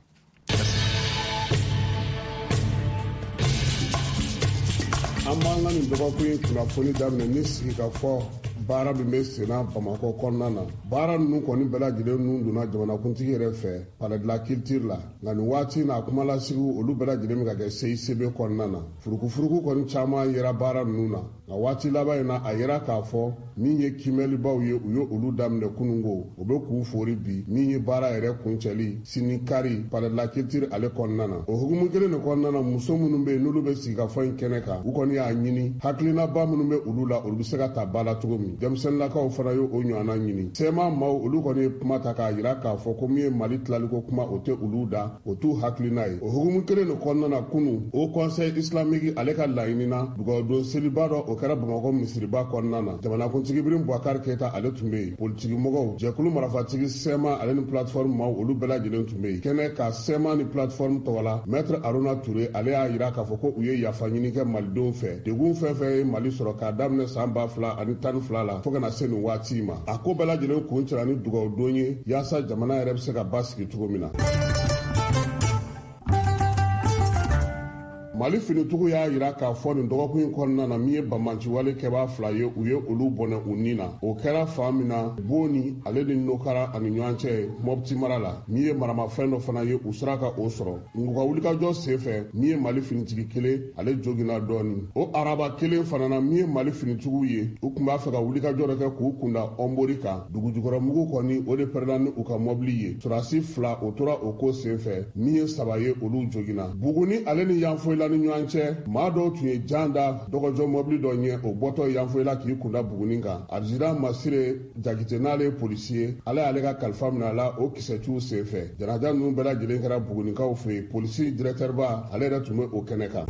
An b'an ka nin dɔgɔkun in kunnafoni daminɛ ni sigikafɔ baara min bɛ senna Bamakɔ kɔnɔna na. Baara ninnu kɔni bɛɛ lajɛlen nun donna jamanakuntigi yɛrɛ fɛ Palais de la Culture la, nka nin waati in na, kumalasigiw olu bɛɛ lajɛlen bɛ ka kɛ C I C B kɔnɔna na. Furukufuruku kɔni caman yera baara ninnu na, nka waati laban in na, a yera k'a fɔ min ye kiimɛlibaw ye, u ye olu daminɛ kununko, o bɛ k'u fori bi, min ye baara yɛrɛ kuncɛli sini kari Palais de la Culture ale kɔnɔna na. O hukumu kelen de kɔnɔna na, muso minnu bɛ yen n'olu bɛ sigikafɔ in kɛnɛ kan, u kɔni y'a ɲini hakilinaba minnu bɛ olu la, olu bɛ se ka ta ba la cogo min. Denmisɛnninlakaw fana ye o ɲɔgɔnna ɲini. C M A maaw, olu kɔni ye kuma ta k'a jira k'a fɔ ko min ye Mali tilaliko kuma, o tɛ olu da, o t'u hakilina ye. O hukumu kelen de kɔnɔna na, kunu, Haut Conseil islamique ale ka laɲini na, dugawudon seliba dɔ o kɛra Bamakɔ misiriba kɔnɔna na. Jamanakuntigi Ibrahim Boubacar Keita ale tun bɛ yen, politikimɔgɔw, jɛkulu marafatigi C M A ale ni plateforme maaw, olu bɛɛ lajɛlen tun bɛ yen kɛnɛ ka. C M A ni plateforme tɔgɔ la, maître Aruna Touré ale y'a jira k'a fɔ ko u ye yafa ɲini kɛ malidenw fɛ, degun fɛn fɛn ye Mali sɔrɔ k'a daminɛ san ba fila ani tan ni fila la fo ka na se nin waati ma. A ko bɛɛ lajɛlen kun cɛla ni dugawudon ye yaasa jamana yɛrɛ bɛ se ka basigi cogo min na. Mali finitigiw y'a jira k'a fɔ nin dɔgɔkun in kɔnɔna na, min ye banbaanciwale kɛbaa fila ye, u ye olu bɔnɛ u ni na. O kɛra fan min na, Boni ale ni Nokara ani ɲɔgɔn cɛ, Mɔpti mara la. Min ye maramafɛn dɔ fana ye, u sera ka o sɔrɔ. U ka wulikajɔ sen fɛ, min ye Mali finitigi kelen, ale joginna dɔɔni. O araba kelen fana na, min ye Mali finitigiw ye, u tun b'a fɛ ka wulikajɔ dɔ kɛ k'u kunda Ɔnbori kan. Dugujukɔrɔmugu kɔni, o de pɛrɛnna ni u ka mɔbili ye. Sɔrɔdasi fila o tora o ko sen fɛ, min ye saba ye, olu joginna. Buguni ale ni Yanfoyila ni ɲɔgɔn cɛ, maa dɔw tun ye jan da dɔgɔjɔ mɔbili dɔ ɲɛ, o bɔtɔ Yanfoyila k'i kunda Buguni kan. Adjudant Masire Jakite, n'ale ye polisi ye, ala y'ale ka kalifa minɛ a la o kisɛciw sen fɛ. Janaja ninnu bɛɛ lajɛlen kɛra Bugunikaw fɛ yen. Polisi directeur ba, ale yɛrɛ tun bɛ o kɛnɛ kan.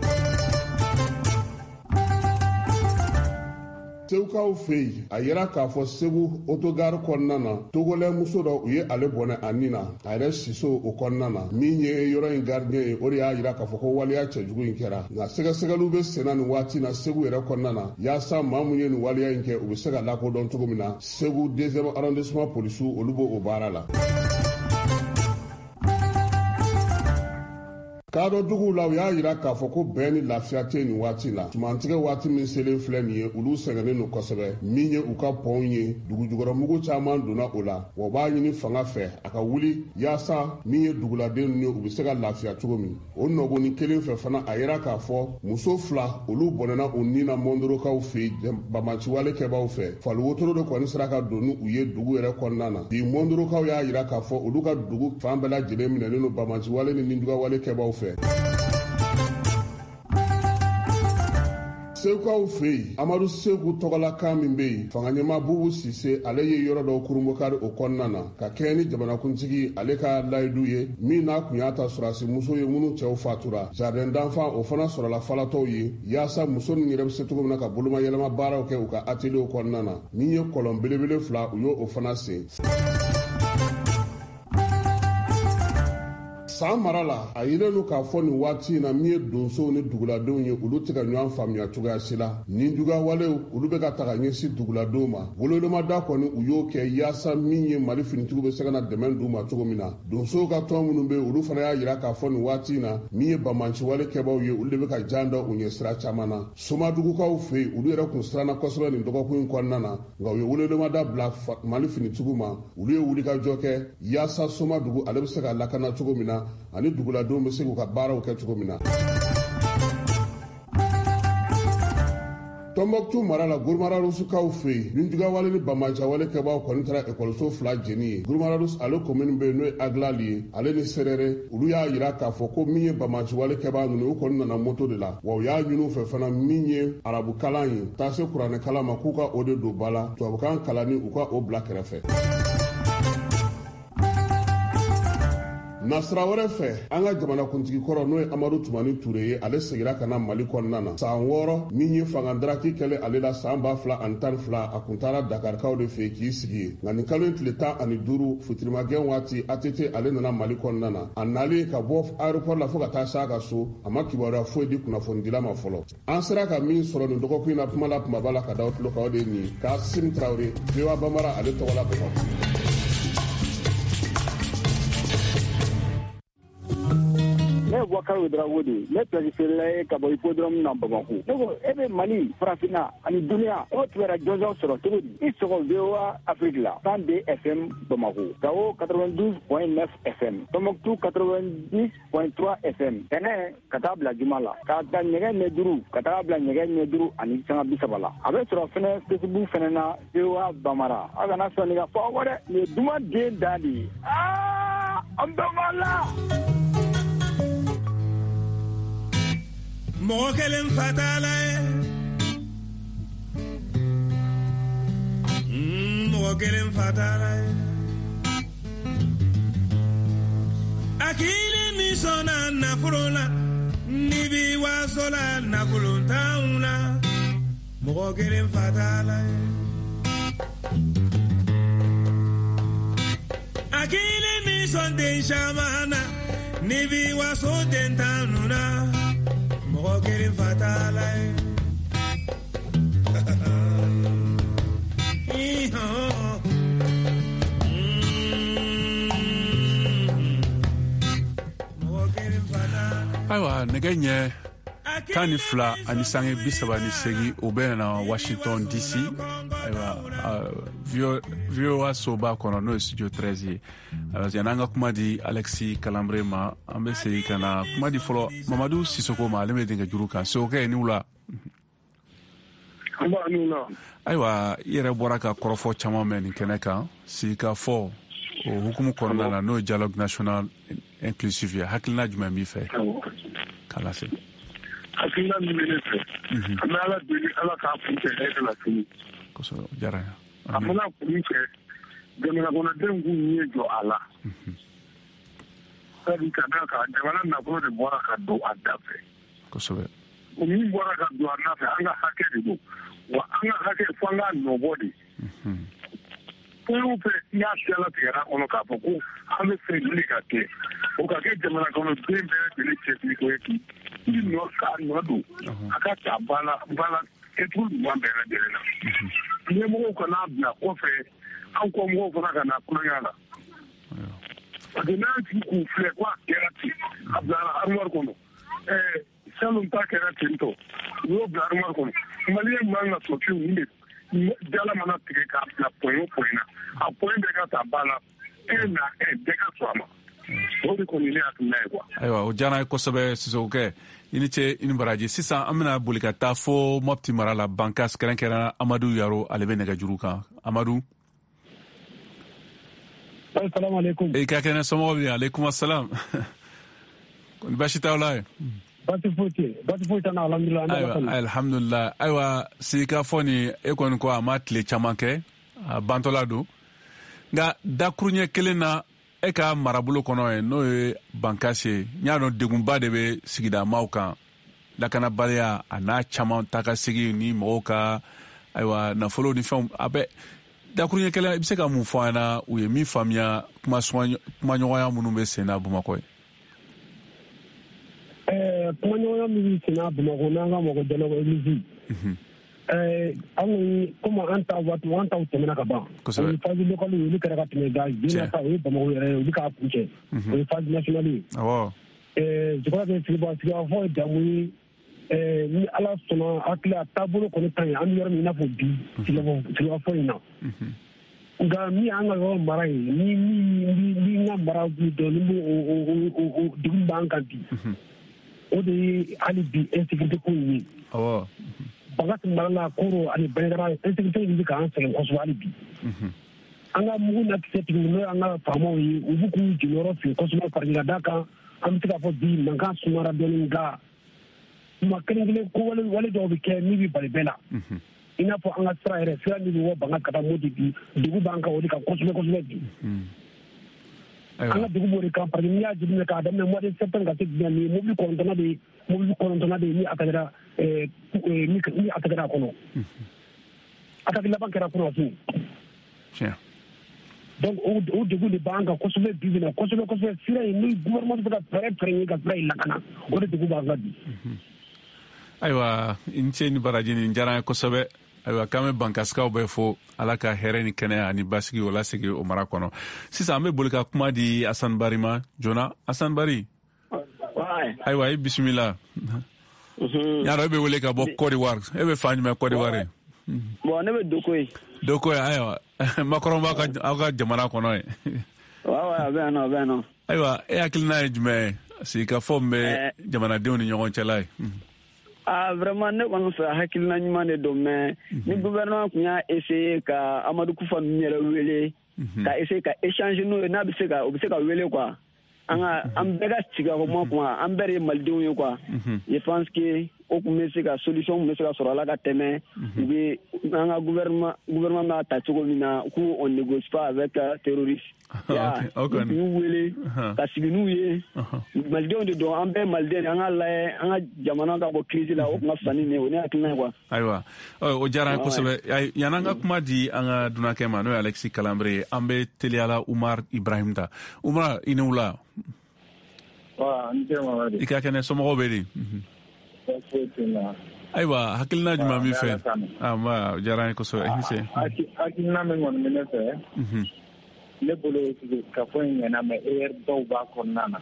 Segukaw fɛ yen, a yira k'a fɔ Segu autogare kɔnɔna na, togolɛ muso dɔ, u ye ale bɔnɛ a nin na, a yɛrɛ siso o kɔnɔna na. Min ye yɔrɔ in gardien ye, o de y'a yira k'a fɔ ko waleya cɛjugu in kɛra, nka sɛgɛsɛgɛliw bɛ senna nin waati na Segu yɛrɛ kɔnɔna na, yaasa maa mun ye nin waleya in kɛ, u bɛ se ka lakodɔn cogo min na. Segu deuxième arrondissement polisiw, olu b'o baara la. Kadɔduguw la, u y'a jira k'a fɔ ko bɛn ni lafiya tɛ nin waati la. Sumantigɛ waati min selen filɛ nin ye, olu sɛgɛnnen don kosɛbɛ. Min ye u ka pɔnw ye, dugujukɔrɔmugu caman donna o la, wa u b'a ɲini fanga fɛ a ka wuli yaasa min ye duguladen ninnu ye, u bɛ se ka lafiya cogo min. O nɔgɔni kelen fɛ fana, a yira k'a fɔ muso fila, olu bɔnɛna u ni na Mɔndorokaw fɛ yen, banbaanciwale kɛbaaw fɛ. Faliwotoro de kɔni sera ka don ni u ye dugu yɛrɛ kɔnɔna na. Bi, Mɔndorokaw y'a jira k'a fɔ olu ka dugu fan bɛɛ lajɛlen minɛnen don banbaanciwale ni nijuguyawale kɛbaaw fɛ. Segukaw fɛ yen, Amadu Segu tɔgɔlakan min bɛ yen, fanga ɲɛmaa Bubu Sise ale ye yɔrɔ dɔw kurunbokari o kɔnɔna na, ka kɛɲɛ ni jamanakuntigi ale ka layidu ye, min n'a kun y'a ta sɔrɔdasi muso ye minnu cɛw fatura. Jardin d'enfant, o fana sɔrɔla falatɔw ye, yaasa muso ninnu yɛrɛ bɛ se cogo min na ka bolomayɛlɛma baaraw kɛ u ka atelier kɔnɔna na. Min ye kɔlɔn belebele fila, u y'o fana sen. San mara la, a yelen don k'a fɔ nin waati in na, min ye donsow ni duguladenw ye, olu tɛ ka ɲɔgɔn faamuya cogoya si la. Nin juguyawalew, olu bɛ ka taga ɲɛsin duguladenw ma. Wololomada kɔni, u y'o kɛ yaasa min ye Mali finitigiw bɛ se ka na dɛmɛ d'u ma cogo min na. Donsow ka tɔn minnu bɛ yen, olu fana y'a jira k'a fɔ nin waati in na, min ye banbaanciwale kɛbaaw ye, olu de bɛ ka jan da u ɲɛ sira caman na. Somadugukaw fɛ yen, olu yɛrɛ kun siranna kosɛbɛ nin dɔgɔkun in kɔnɔna na, nka u ye wololomada bila Mali finitigiw ma. Olu ye wulikajɔ kɛ yaasa Somadugu ale bɛ se ka lakana cogo min na, ani duguladenw bɛ se k'u ka baaraw kɛ cogo min na. Tɔnbɔkutu mara la, Gurumararusukaw fɛ yen, ninjuguyawale ni banbaanciwale kɛbaaw kɔni taara ekɔliso fila jeni ye. Gurumararus ale komini bɛ yen, n'o ye Agilali ye, ale ni Serere, olu y'a jira k'a fɔ ko min ye banbaanciwale kɛbaa ninnu, u kɔni nana moto de la, wa u y'a ɲini u fɛ fana, min ye arabukalan ye, taa se kuranɛkalan ma, k'u ka o de don ba la, tubabukan kalanni, u ka o bila kɛrɛfɛ. Nasira wɛrɛ fɛ, an ka jamanakuntigi kɔrɔ n'o ye Amadu Tumani Ture ye, ale segira ka na Mali kɔnɔna na san wɔɔrɔ min ye fangadaraki kɛlen ale la san ba fila ani tan ni fila. A kun taara Dakarikaw de fɛ k'i sigi yen, nka nin kalo in tile tan ani duuru fitirimakɛ waati, A T T ale nana Mali kɔnɔna na. A nalen ka bɔ aéroport la fo ka taa s'a ka so, a ma kibaruya foyi di kunnafonidila ma fɔlɔ. An sera ka min sɔrɔ nin dɔgɔkun in na kuma la kumaba la ka da tulo kan, o de ye nin ye. Kasim Traoré, V O A Bambara, ale tɔgɔ la Bamakɔ. Ne ye Boubacar Ouedraogo de ye, ne place feerela ye ka bɔ hippodrome na Bamako. Ne ko e bɛ Mali, Farafinna ani duniya, e b'o kibaruya jɔnjɔn sɔrɔ cogo di? I sɔgɔ V O A Afrique la cent deux F M Bamako, Gao quatre-vingt-douze point neuf F M, Tombouctou quatre-vingt-dix point trois F M. Tɛnɛ ka taa bila juma la, k'a ta ɲɛgɛ ɲɛ duuru ka taa bila ɲɛgɛ ɲɛ duuru ani sanga bi saba la. A bɛ sɔrɔ fɛnɛ Facebook fɛnɛ na V O A Bambara. Aw kana sɔn nin ka fɔ aw kɔ dɛ, nin ye duman den dan de ye. Aa, an bɛɛ b'a la. Mɔgɔ kelen fa t'a la ye, mɔgɔ kelen fa t'a la ye. A kili min sɔnna nafolo la, n'i b'i waso la nafolo t'anw na, mɔgɔ kelen fa t'a la ye. A kili min sɔn den caman na, n'i b'i waso den tan na, mɔgɔ kelen fa t'a la ye. Ayiwa, nɛgɛ ɲɛ tan ni fila ani sange bi saba ni seegin, o bɛ na Washington D C. Ayiwa, V O A soba kɔnɔ, n'o ye studio treize ye. Yanni an ka kuma di Alexis Kalambre ma, an bɛ segin ka na kuma di fɔlɔ Mamadu Sisoko ma, ale bɛ denkɛ juru kan. Sokɛ, ni wula. Ayiwa, i yɛrɛ bɔra ka kɔrɔfɔ caman mɛn nin kɛnɛ kan, sigikafɔ o hukumu kɔnɔna la, n'o ye dialogue national inclusif ye. Hakilina jumɛn b'i fɛ k'a lase? Hakilina min bɛ ne fɛ, an bɛ Ala deli Ala k'a kun cɛ hɛrɛ la sini. Kosɛbɛ, o diyara n ye. A mana kun cɛ, jamana kɔnɔdenw k'u ɲɛ jɔ a la. Sabu ka d'a kan, jamana nafolo de bɔra ka don a da fɛ. Kosɛbɛ. O min bɔra ka don a da fɛ, an ka hakɛ de don. Wa an ka hakɛ fo an k'a nɔbɔ de. Fɛn o fɛn n'a siyala tigɛra a kɔnɔ k'a fɔ ko an bɛ fɛ nin de ka kɛ, o ka kɛ jamana kɔnɔden bɛɛ lajɛlen cɛsiri ko ye k'i nɔ k'a nɔ don a ka ta ba la ba la kɛcogo ɲuman bɛɛ lajɛlen na. Ɲɛmɔgɔw kana bila kɔfɛ, an kɔmɔgɔw fana ka na kulonkɛ la. Parce que n'an sigi k'u filɛ ko a kɛra ten, a bilara armoire kɔnɔ. Ɛɛ salon ta kɛra ten tɔ, u y'o bila armoire kɔnɔ. Maliyɛn man ka sɔn fiyewu, nin de jala mana tigɛ k'a bila point o point na, a point bɛɛ ka ta ba la, un na un bɛɛ ka sɔn a ma. O de kɔni ne hakilina ye quoi. Ayiwa, o diyara n ye kosɛbɛ Sisokɛ. I ni ce, i ni baraji. Sisan an bɛna boli ka taa fo Mopti mara la, Bankas, kɛrɛnkɛrɛnnenya Amadu Yaro, ale bɛ nɛgɛjuru kan. Amadu. Assalamu alaikum. E ka kɛnɛ, somɔgɔw bɛ di? Aleykum assalam. Kɔni baasi t'aw la ye? Baasi foyi tɛ, baasi foyi t'an na, alhamdulilah. Ayiwa, alhamdulilah. Ayiwa, sigikafɔ nin, e kɔni ko a ma tile caman kɛ, a bantɔla don. Nka dakuruɲɛ kelen na, e ka marabolo kɔnɔ yen, n'o ye Bankasi ye, n y'a dɔn degunba de bɛ sigidamaw kan, lakanabaliya a n'a caman taa ka segin ni mɔgɔw ka ayiwa nafolo ni fɛnw a bɛ. Dakuruɲɛ kelen, i bɛ se ka mun fɔ an ɲɛna u ye min faamuya kumaɲɔgɔnya minnu bɛ sen na Bamakɔ ye? Ɛɛ kumaɲɔgɔnya min bɛ sen na Bamakɔ n'an ka mɔgɔ dialogue église, ɛɛ an kɔni komi an ta waati an taw tɛmɛna ka ban. Kosɛbɛ. O ye phase locale ye, olu kɛra ka tɛmɛ, nka bi ta o ye Bamakɔ yɛrɛ ye, olu k'a kun cɛ. O ye phase nationale ye. Awɔ. Ɛɛ je crois que sigikafɔ ye damu ye. Ɛɛ ni Ala sɔnna, hakili a taabolo kɔni ka ɲi, an bɛ yɔrɔ min i n'a fɔ bi sigikafɔ in na. Nka min y'an ka yɔrɔ mara ye, ni min ni n ka mara dɔn, ni o o o degun b'an kan bi, o de ye hali bi insécurité ko in ye. Awɔ. Bankas mara la, Koro ani Banjagara, insécurité in bɛ k'an sɛgɛn kosɛbɛ hali bi. An ka mugu na kisɛ tigɛ, n'o y'an ka faamaw ye, u b'u k'u jɔyɔrɔ fin kosɛbɛ parce que ka d'a kan, an bɛ se k'a fɔ bi mankan sumara dɔɔnin, nka kuma kelen kelen ko wale wale dɔw bɛ kɛ min bɛ bali bɛɛ la. I n'a fɔ an ka sira yɛrɛ, sira min bɛ bɔ Bankas ka taa Moti bi, degun b'an kan o de kan kosɛbɛ kosɛbɛ bi. An ka degun b'o de kan parce que n'i y'a jateminɛ k'a daminɛ mois de septembre ka se bi ma nin ye mobili kɔnɔntɔnna de ye mobili kɔnɔntɔnna de ye ni a kɛra ni a kɛra a kɔnɔ. Attaque laban kɛra kunasini. Donc o degun de b'an kan kosɛbɛ bi bi in na kosɛbɛ kosɛbɛ sira in ni gouvernement bɛ se ka fɛɛrɛ fɛɛrɛ ɲini ka sira in lakana o de degun b'an kan bi. Ayiwa i ni ce ni baraji nin diyara an ye kosɛbɛ. Ayiwa k'an bɛ bankasikaw bɛɛ fo ala ka hɛrɛ ni kɛnɛya ani basigi o lasegin o mara kɔnɔ. Sisan an bɛ boli ka kuma di Asan Bari ma joona. Asan Bari. Ayiwa i bisimila. Y'a dɔn e bɛ wele ka bɔ Côte d'Ivoire, e bɛ fan jumɛn Côte d'Ivoire ye? Bon ne bɛ Doko ye. Doko ye ayiwa Macron b'a ka aw ka jamana kɔnɔ ye. Wa wa a bɛ yan nɔ a bɛ yan nɔ. Ayiwa e hakilina ye jumɛn ye sigikafɔ min bɛ jamanadenw ni ɲɔgɔn cɛla ye? Ah vraiment ne kɔni fɛ hakilina ɲuman de don mais ni gouvernement tun y'a essayer ka Amadou Koufa ninnu yɛrɛ wele ka essayer ka échanger n'o ye n'a bɛ se ka o bɛ se ka wele quoi. An ka an bɛɛ ka sigi ka kuma kuma an bɛɛ de ye malidenw ye quoi. Je pense que o tun bɛ se ka solution tun bɛ se ka sɔrɔ a la ka tɛmɛ u bɛ an ka gouvernement gouvernement b'a ta cogo min na k'u on négocie pas avec terroriste. U y'u wele ka sigi n'u ye malidenw de don an bɛɛ maliden de an ka lajɛ an ka jamana ka bɔ crise la o tun ka fisa ni nin ye o ne hakilina ye quoi. Ayiwa o diyara an ye kosɛbɛ. Yan'an ka kuma di an ka dunankɛ ma n'o ye Alexis Kalanbre ye, an bɛ teliyala Umar Ibrahim ta. Umar i ni wula. I ka kɛnɛ, somɔgɔw bɛ di? Ayiwa hakilina jumɛn b'i fɛ? Nba o diyara an ye kosɛbɛ. I ni ce. Hakilina min kɔni bɛ ne fɛ, ne bolo kafo in ɲɛna mais erreur dɔw b'a kɔnɔna na.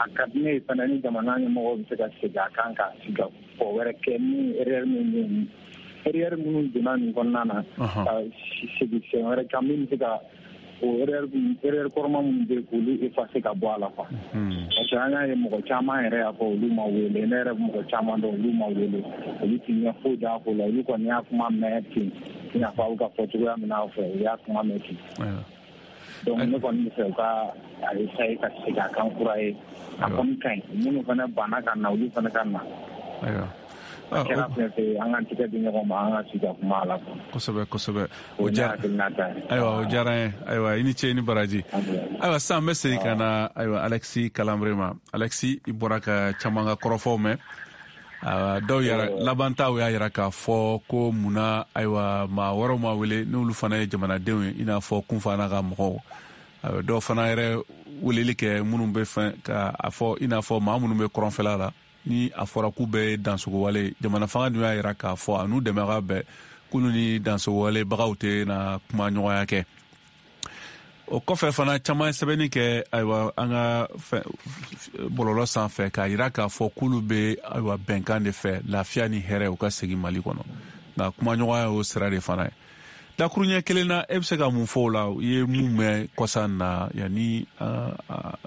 A ka di ne ye fana ni jamana ɲɛmɔgɔw bɛ se ka segin a kan ka sigi ka fɔ wɛrɛ kɛ min erreur min bɛ yen, erreur minnu donna nin kɔnɔna na ka segin sen wɛrɛ kan min bɛ se ka o erreur erreur kɔrɔma minnu bɛ yen k'olu effacer ka bɔ a la quoi. Parce que an y'a ye mɔgɔ caman yɛrɛ y'a fɔ olu ma wele, ne yɛrɛ mɔgɔ caman dɔn olu ma wele, olu ti ɲɛ foyi d'a ko la, olu kɔni y'a kuma mɛn ten i n'a fɔ aw ka fɔ cogoya min na aw fɛ u y'a kuma mɛn ten. Donc ne kɔni bɛ fɛ u ka a essayer ka segin a kan kura ye, a kɔni ka ɲi minnu fana banna ka na olu fana ka na. Ayiwa. A kɛra fɛn fɛn ye an k'an tɛgɛ di ɲɔgɔn ma an ka sigi ka kuma a la. Kosɛbɛ kosɛbɛ. O diyara ayiwa o diyara an ye. Ayiwa i ni ce i ni baraji. Ayiwa sisan an bɛ segin ka na ayiwa Alexis Kalanbre ma. Alexis i bɔra ka caman ka kɔrɔfɔw mɛn. Dɔw yɛrɛ laban taw y'a yira k'a fɔ ko munna ayiwa maa wɛrɛw ma wele n'olu fana ye jamanadenw ye i n'a fɔ Kunfa n'a ka mɔgɔw. Dɔw fana yɛrɛ weleli kɛ minnu bɛ fɛn ka a fɔ i n'a fɔ maa minnu bɛ kɔrɔnfɛla la ni a fɔra k'u bɛ dansogowale jamana fanga dun y'a yira k'a fɔ a n'u dɛmɛbaga bɛɛ k'olu ni dansogowalebagaw tɛ na kuma ɲɔgɔnya kɛ. O kɔfɛ fana caman ye sɛbɛnni kɛ ayiwa an ka bɔlɔlɔ sanfɛ k'a yira k'a fɔ k'olu bɛ ayiwa bɛnkan de fɛ lafiya ni hɛrɛ u ka segin Mali kɔnɔ, nka kumaɲɔgɔnya y'o sira de fana ye. Dakuruɲɛ kelen na e bɛ se ka mun fɔ o la? I ye mun mɛn kɔsa in na yanni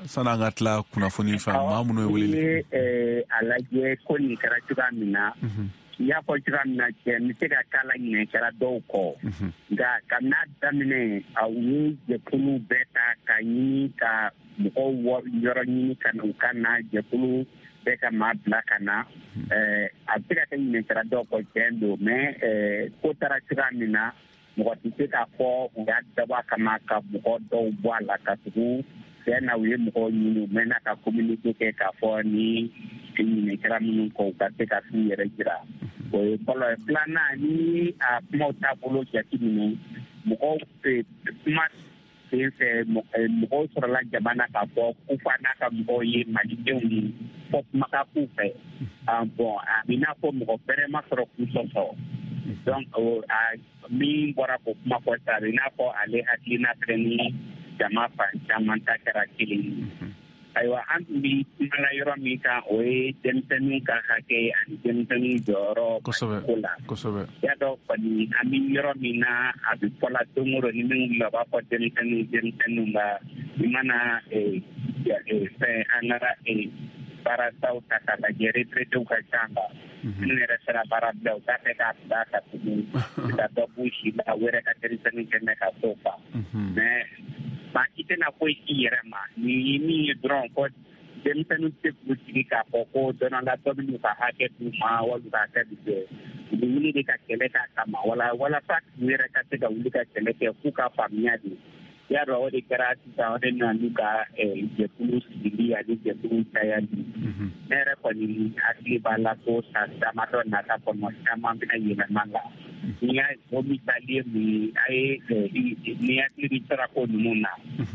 sanni an ka tila kunnafoni fɛn maa minnu ye weleli kɛ? A lajɛ ko nin kɛra cogoya min na, i y'a fɔ cogoya min na cɛ n bɛ se ka k'a la ɲinɛ kɛra dɔw kɔ, nka kabini a daminɛ a ye jɛkulu bɛɛ ta ka ɲini ka mɔgɔw yɔrɔ ɲini ka na u ka na jɛkulu bɛɛ ka maa bila ka na. A bɛ se ka kɛ ɲinɛ kɛra dɔw kɔ tiɲɛ don, mais ko taara cogoya min na mɔgɔ tɛ se k'a fɔ u y'a dabɔ a kama ka mɔgɔ dɔw bɔ a la ka tugu tiɲɛ na u ye mɔgɔw ɲini u mɛnna ka communiqué kɛ k'a fɔ ni ɲinɛ kɛra minnu kɔ u ka se ka t'u yɛrɛ jira. O ye fɔlɔ ye. Filanan ni a kumaw taabolo jateminɛ mɔgɔw kuma sen fɛ mɔgɔw sɔrɔla jama na k'a fɔ Kufa n'a ka mɔgɔw ye malidenw ye fɔ kuma ka k'u fɛ. Bon a bɛ n'a fɔ mɔgɔ bɛrɛ ma sɔrɔ k'u sɔsɔ. Donc a min bɔra k'o kuma fɔ sisan a bɛ n'a fɔ ale hakilina fɛnɛ ni jama fan caman ta kɛra kelen ye. Ayiwa an tun bɛ kuma la yɔrɔ min kan o ye denmisɛnninw ka hakɛ ani denmisɛnninw jɔyɔrɔ ko la. Kosɛbɛ. Y'a dɔn kɔni an bɛ yɔrɔ min na a bɛ fɔla don o don ni min wulila u b'a fɔ denmisɛnninw denmisɛnninw nka i mana fɛn an ka baarataw ta k'a lajɛ retraitéw ka ca la. Minnu yɛrɛ sera baara bila u t'a fɛ k'a bila ka tugu ka dɔ b'u si la u yɛrɛ ka denmisɛnninw kɛ mɛ ka t'o fa. Mais maa si tɛna foyi k'i yɛrɛ ma ni ye min ye dɔrɔn ko denmisɛnninw tɛ k'u sigi k'a fɔ ko don dɔ la dɔ bɛ n'u ka hakɛ d'u ma walima u ka hakɛ bɛ jɛ u bɛ wuli de ka kɛlɛ k'a kama wala walasa u yɛrɛ ka se ka wuli ka kɛlɛ kɛ k'u ka faamuya de Y'a dɔn o de kɛra sisan, o de nana n'u ka jɛkulu sigili ani jɛkulu cayali. Ne yɛrɛ kɔni hakili b'a la ko san damadɔ nata kɔnɔ, caman bɛna yɛlɛma la. N'i y'a o misali ye mun ye, a ye ni hakili bɛ sirako ninnu na,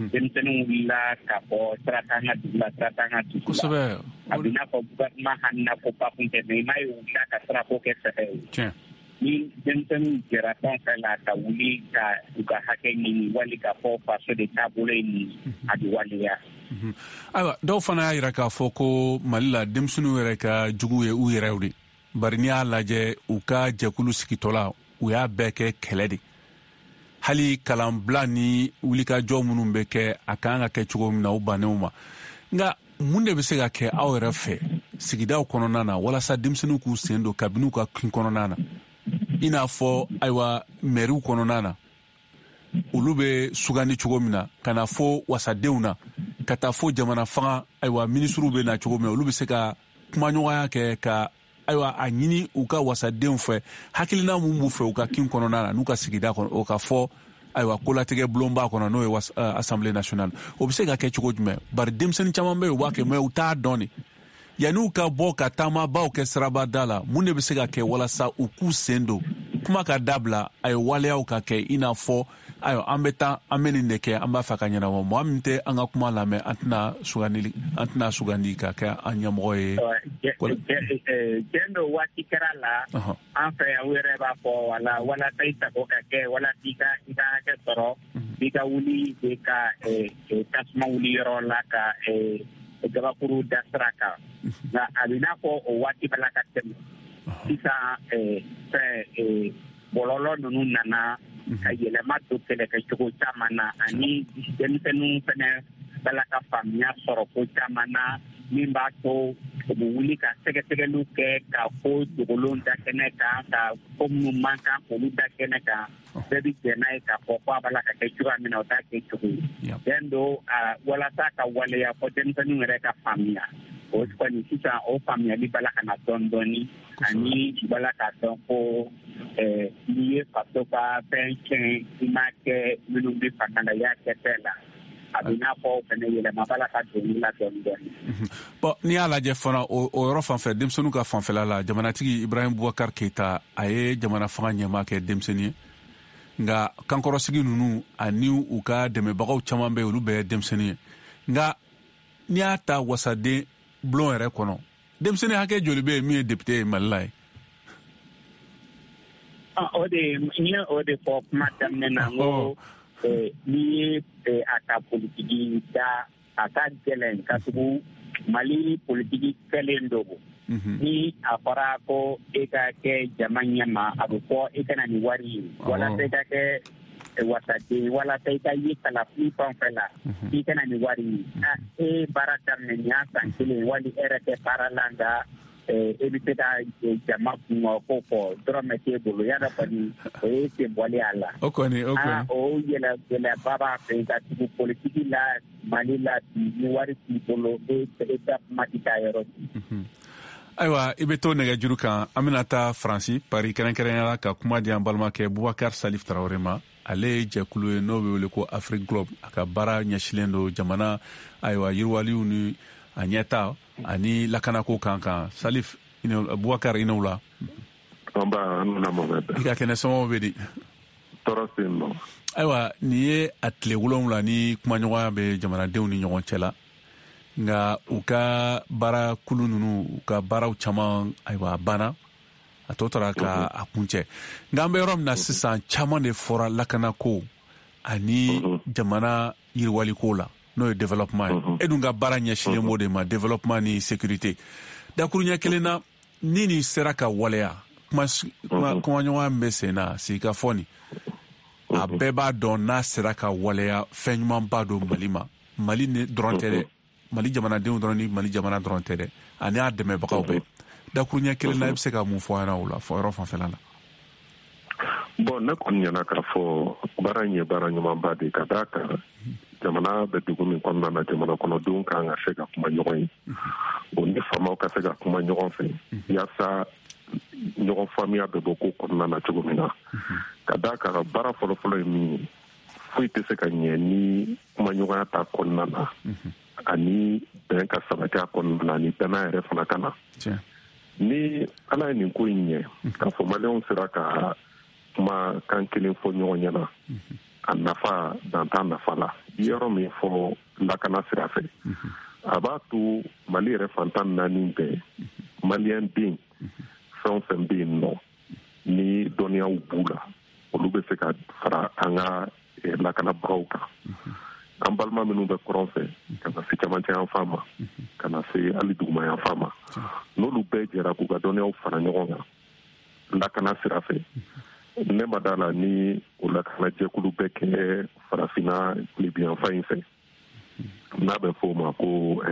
denmisɛnninw wulila ka bɔ sira t'an ka dugu la, sira t'an ka dugu la. A bɛ n'a fɔ gouvernement hamina ko ba kun tɛ, mais i m'a ye u wulila ka sirako kɛ sɛbɛ ye. Ni denmisɛnninw jɛra fɛn fɛn la ka wuli ka u ka hakɛ ɲini wali ka fɔ faso de taabolo ye nin, a bɛ waleya. Ayiwa, dɔw fana y'a jira k'a fɔ ko Mali la denmisɛnninw yɛrɛ ka jugu ye u yɛrɛw de. Bari n'i y'a lajɛ u ka jɛkulu sigitɔla, u y'a bɛɛ kɛ kɛlɛ de. Hali kalanbila ni wulikajɔ minnu bɛ kɛ, a kan ka kɛ cogo min na, u bannenw ma. Nka mun de bɛ se ka kɛ aw yɛrɛ fɛ sigidaw kɔnɔna na walasa denmisɛnninw k'u sen don kabini u ka kin kɔnɔna na, i n'a fɔ ayiwa mɛriw kɔnɔna na olu bɛ sugandi cogo min na, ka na fo wasadenw na, ka taa fo jamana fanga ayiwa minisiriw bɛ na cogo min na, olu bɛ se ka kumaɲɔgɔnya kɛ ka ayiwa a ɲini u ka wasadenw fɛ hakilina mun b'u fɛ u ka kin kɔnɔna na n'u ka sigida kɔnɔ, o ka fɔ ayiwa kolatigɛ bulonba kɔnɔ, n'o ye Assemblée nationale. O bɛ se ka kɛ cogo jumɛn? Bari denmisɛnnin caman bɛ yen, u b'a kɛ mais u t'a dɔn de. Yanni ka bɔ ka taamabaw kɛ sirabada la, mun de bɛ se ka kɛ walasa u k'u sen don kuma ka dabila, a ye waleyaw ka kɛ, i n'a fɔ ayiwa an bɛ taa an bɛ nin de kɛ, an b'a fɛ ka ɲɛnabɔ, mɔgɔ min tɛ an ka kuma lamɛn, an tɛna sugandi an tɛna sugandi ka kɛ an ɲɛmɔgɔ ye. Tiɲɛ don, waati kɛra la an fɛ yan, u yɛrɛ b'a fɔ wala walasa i sago ka kɛ, walasa i ka i ka hakɛ sɔrɔ, i ka wuli de ka tasuma wuli yɔrɔ la ka gabakuru da sira kan. Nka a bɛ n'a fɔ o waati b'a la ka tɛmɛ sisan. Fɛn bɔlɔlɔ ninnu nana ka yɛlɛma don kɛlɛkɛcogo caman na, ani denmisɛnninw fɛnɛ b'a la ka faamuya sɔrɔ ko caman na, min b'a to u bɛ wuli ka sɛgɛsɛgɛliw kɛ ka ko dogolenw da kɛnɛ kan, ka ko minnu man kan k'olu da kɛnɛ kan. Bɛɛ bɛ jɛn n'a ye k'a fɔ ko a b'a la ka kɛ cogoya min na, o t'a kɛ cogo ye. Tiɲɛ don, walasa ka waleya fɔ denmisɛnninw yɛrɛ ka faamuya, o kɔni sisan o faamuyali b'a la ka na dɔɔni dɔɔni, ani u b'a la k'a dɔn ko n'i ye faso ka fɛn tiɲɛ, i m'a kɛ minnu bɛ fanga la, i y'a kɛ fɛn la. A bɛ n'a fɔ fɛnɛ yɛlɛma b'a la ka don la dɔɔni dɔɔni. Bon, n'i y'a lajɛ fana o yɔrɔ fanfɛ, denmisɛnninw ka fanfɛla la, jamanatigi Ibrahim Boubacar Keita, a ye jamana fanga ɲɛmaa kɛ denmisɛnnin ye. Nka kankɔrɔsigi ninnu ani u ka dɛmɛbagaw caman bɛ yen, olu bɛɛ ye denmisɛnnin ye. Nka n'i y'a ta wasaden bulon yɛrɛ kɔnɔ, denmisɛnnin hakɛ joli bɛ yen min ye député ye Mali la ye? O de n ye o de fɔ kuma daminɛ na, n ko n'i ye a ka politiki da, a ka gɛlɛn, ka tugu Mali politiki kɛlen don. Ni a fɔra ko e ka kɛ jama ɲɛma, a bɛ fɔ e ka na ni wari ye, walasa i ka kɛ wasaden, walasa i ka ye kalafili fɛn fɛn la, i ka na ni wari ye. E baara daminɛ nin y'a san kelen, wali e yɛrɛ tɛ baara la, nka e bɛ se ka jama kungo ko fɔ dɔrɔmɛ t'e bolo, y'a dɔn kɔni o ye sen bɔli a la. O kɔni o kɔni o yɛlɛ gɛlɛyaba b'a fɛ ka tugu politiki la Mali la bi, ni wari t'i bolo, e e ka kuma tɛ taa yɔrɔ si. Ayiwa, i bɛ to nɛgɛjuru kan, an bɛna taa Faransi, Paris kɛrɛnkɛrɛnnenya la, ka kuma di an balimakɛ Boubacar Salif Traoré ma. Ale ye jɛkulu ye n'o bɛ wele ko Afrique Globe. A ka baara ɲɛsilen don jamana ayiwa yiriwaliw ni a ɲɛta ani lakanako kan kan. Salif Boubacar, i n'o la. Nba, an nana Mohamed. I ka kɛnɛ, somɔgɔw bɛ di? Tɔɔrɔ tɛ yen nɔ. Ayiwa, nin ye a tile wolonwula ni kumaɲɔgɔnya bɛ jamanadenw ni ɲɔgɔn cɛ la. Nka u ka baara kulu ninnu, u ka baaraw caman ayiwa a banna, a tɔ tora ka a kuncɛ. Nka an bɛ yɔrɔ min na sisan, caman de fɔra lakanako ani jamana yiriwaliko la, n'o ye développement ye. E dun ka baara ɲɛsinnen b'o de ma, développement ni sécurité. Dakuruɲɛ kelen na, ni nin sera ka waleya, kuma kumaɲɔgɔnya min bɛ sen na, sigikafɔ nin, a bɛɛ b'a dɔn n'a sera ka waleya, fɛn ɲumanba don Mali ma. Mali dɔrɔn tɛ dɛ, Mali jamanadenw dɔrɔn ni Mali jamana dɔrɔn tɛ dɛ, ani a dɛmɛbagaw bɛɛ. Dakuruɲɛ kelen na, i bɛ se ka mun fɔ an ɲɛna o la, fɔ yɔrɔ fanfɛla la? Bon, ne kɔni ɲɛna k'a fɔ baara in ye baara ɲumanba de, ka d'a kan jamana bɛ dugu min kɔnɔna na, jamana kɔnɔdenw kan ka se ka kuma ɲɔgɔn ye, o ni faamaw ka se ka kuma ɲɔgɔn fɛ, yaasa ɲɔgɔn faamuya bɛ bɔ ko kɔnɔna na cogo min na. Ka d'a kan baara fɔlɔfɔlɔ ye min ye, Foyi tɛ se ka ɲɛ ni kumaɲɔgɔnya t'a kɔnɔna na, ani bɛn ka sabati a kɔnɔna na, ani danaya yɛrɛ fana ka na. Ni Ala ye nin ko in ɲɛ, k'a fɔ maliyɛnw sera ka kuma kan kelen fɔ ɲɔgɔn ɲɛna, a nafa dan t'a nafa la. I yɔrɔ min fɔ lakana sira fɛ, a b'a to Mali yɛrɛ fantan naani bɛɛ, maliyɛn den fɛn o fɛn bɛ yen nɔ ni dɔnniyaw b'u la, olu bɛ se ka fara an ka lakanabagaw kan. An balima minnu bɛ kɔrɔn fɛ ka na se camancɛ yanfan ma, ka na se hali duguma yanfan ma, n'olu bɛɛ jɛra k'u ka dɔnniyaw fara ɲɔgɔn kan lakana sira fɛ, ne ma d'a la ni o lakanajɛkulu bɛ kɛ farafinna tilebinyanfan in fɛ, n'a bɛ fɔ o ma ko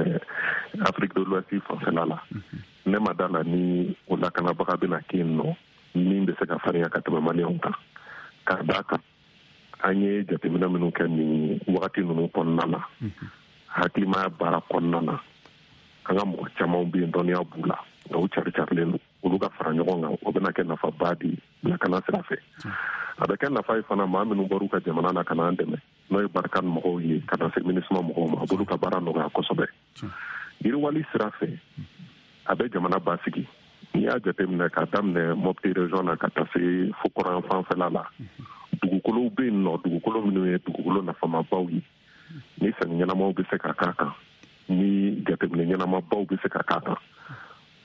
Afrique de l'Ouest fanfɛla la, ne ma d'a la ni o lakanabaga bɛna kɛ yen nɔ min bɛ se ka farinya ka tɛmɛ maliyɛnw kan. K'a d'a kan an ye jateminɛ minnu kɛ nin wagati ninnu kɔnɔna na, hakilimaya baara kɔnɔna na, an ka mɔgɔ caman bɛ yen dɔnniya b'u la, nka u cari carilen don. Olu ka fara ɲɔgɔn kan, o bɛna kɛ nafaba di lakana sira fɛ. A bɛ kɛ nafa ye fana maa minnu bɔr'u ka jamana na ka n'an dɛmɛ, n'o ye Barkhane mɔgɔw ye ka na se MINUSMA mɔgɔw ma, a b'olu ka baara nɔgɔya kosɛbɛ. Yiriwali sira fɛ, a bɛ jamana basigi. N'i y'a jateminɛ k'a daminɛ Mopti région na ka taa se fo kɔrɔn fanfɛla la, dugukolow bɛ yen nɔ, dugukolo minnu ye dugukolo nafamabaw ye, ni sɛnɛ ɲɛnamaw bɛ se ka k'a kan, ni jateminɛ ɲɛnamabaw bɛ se ka k'a kan,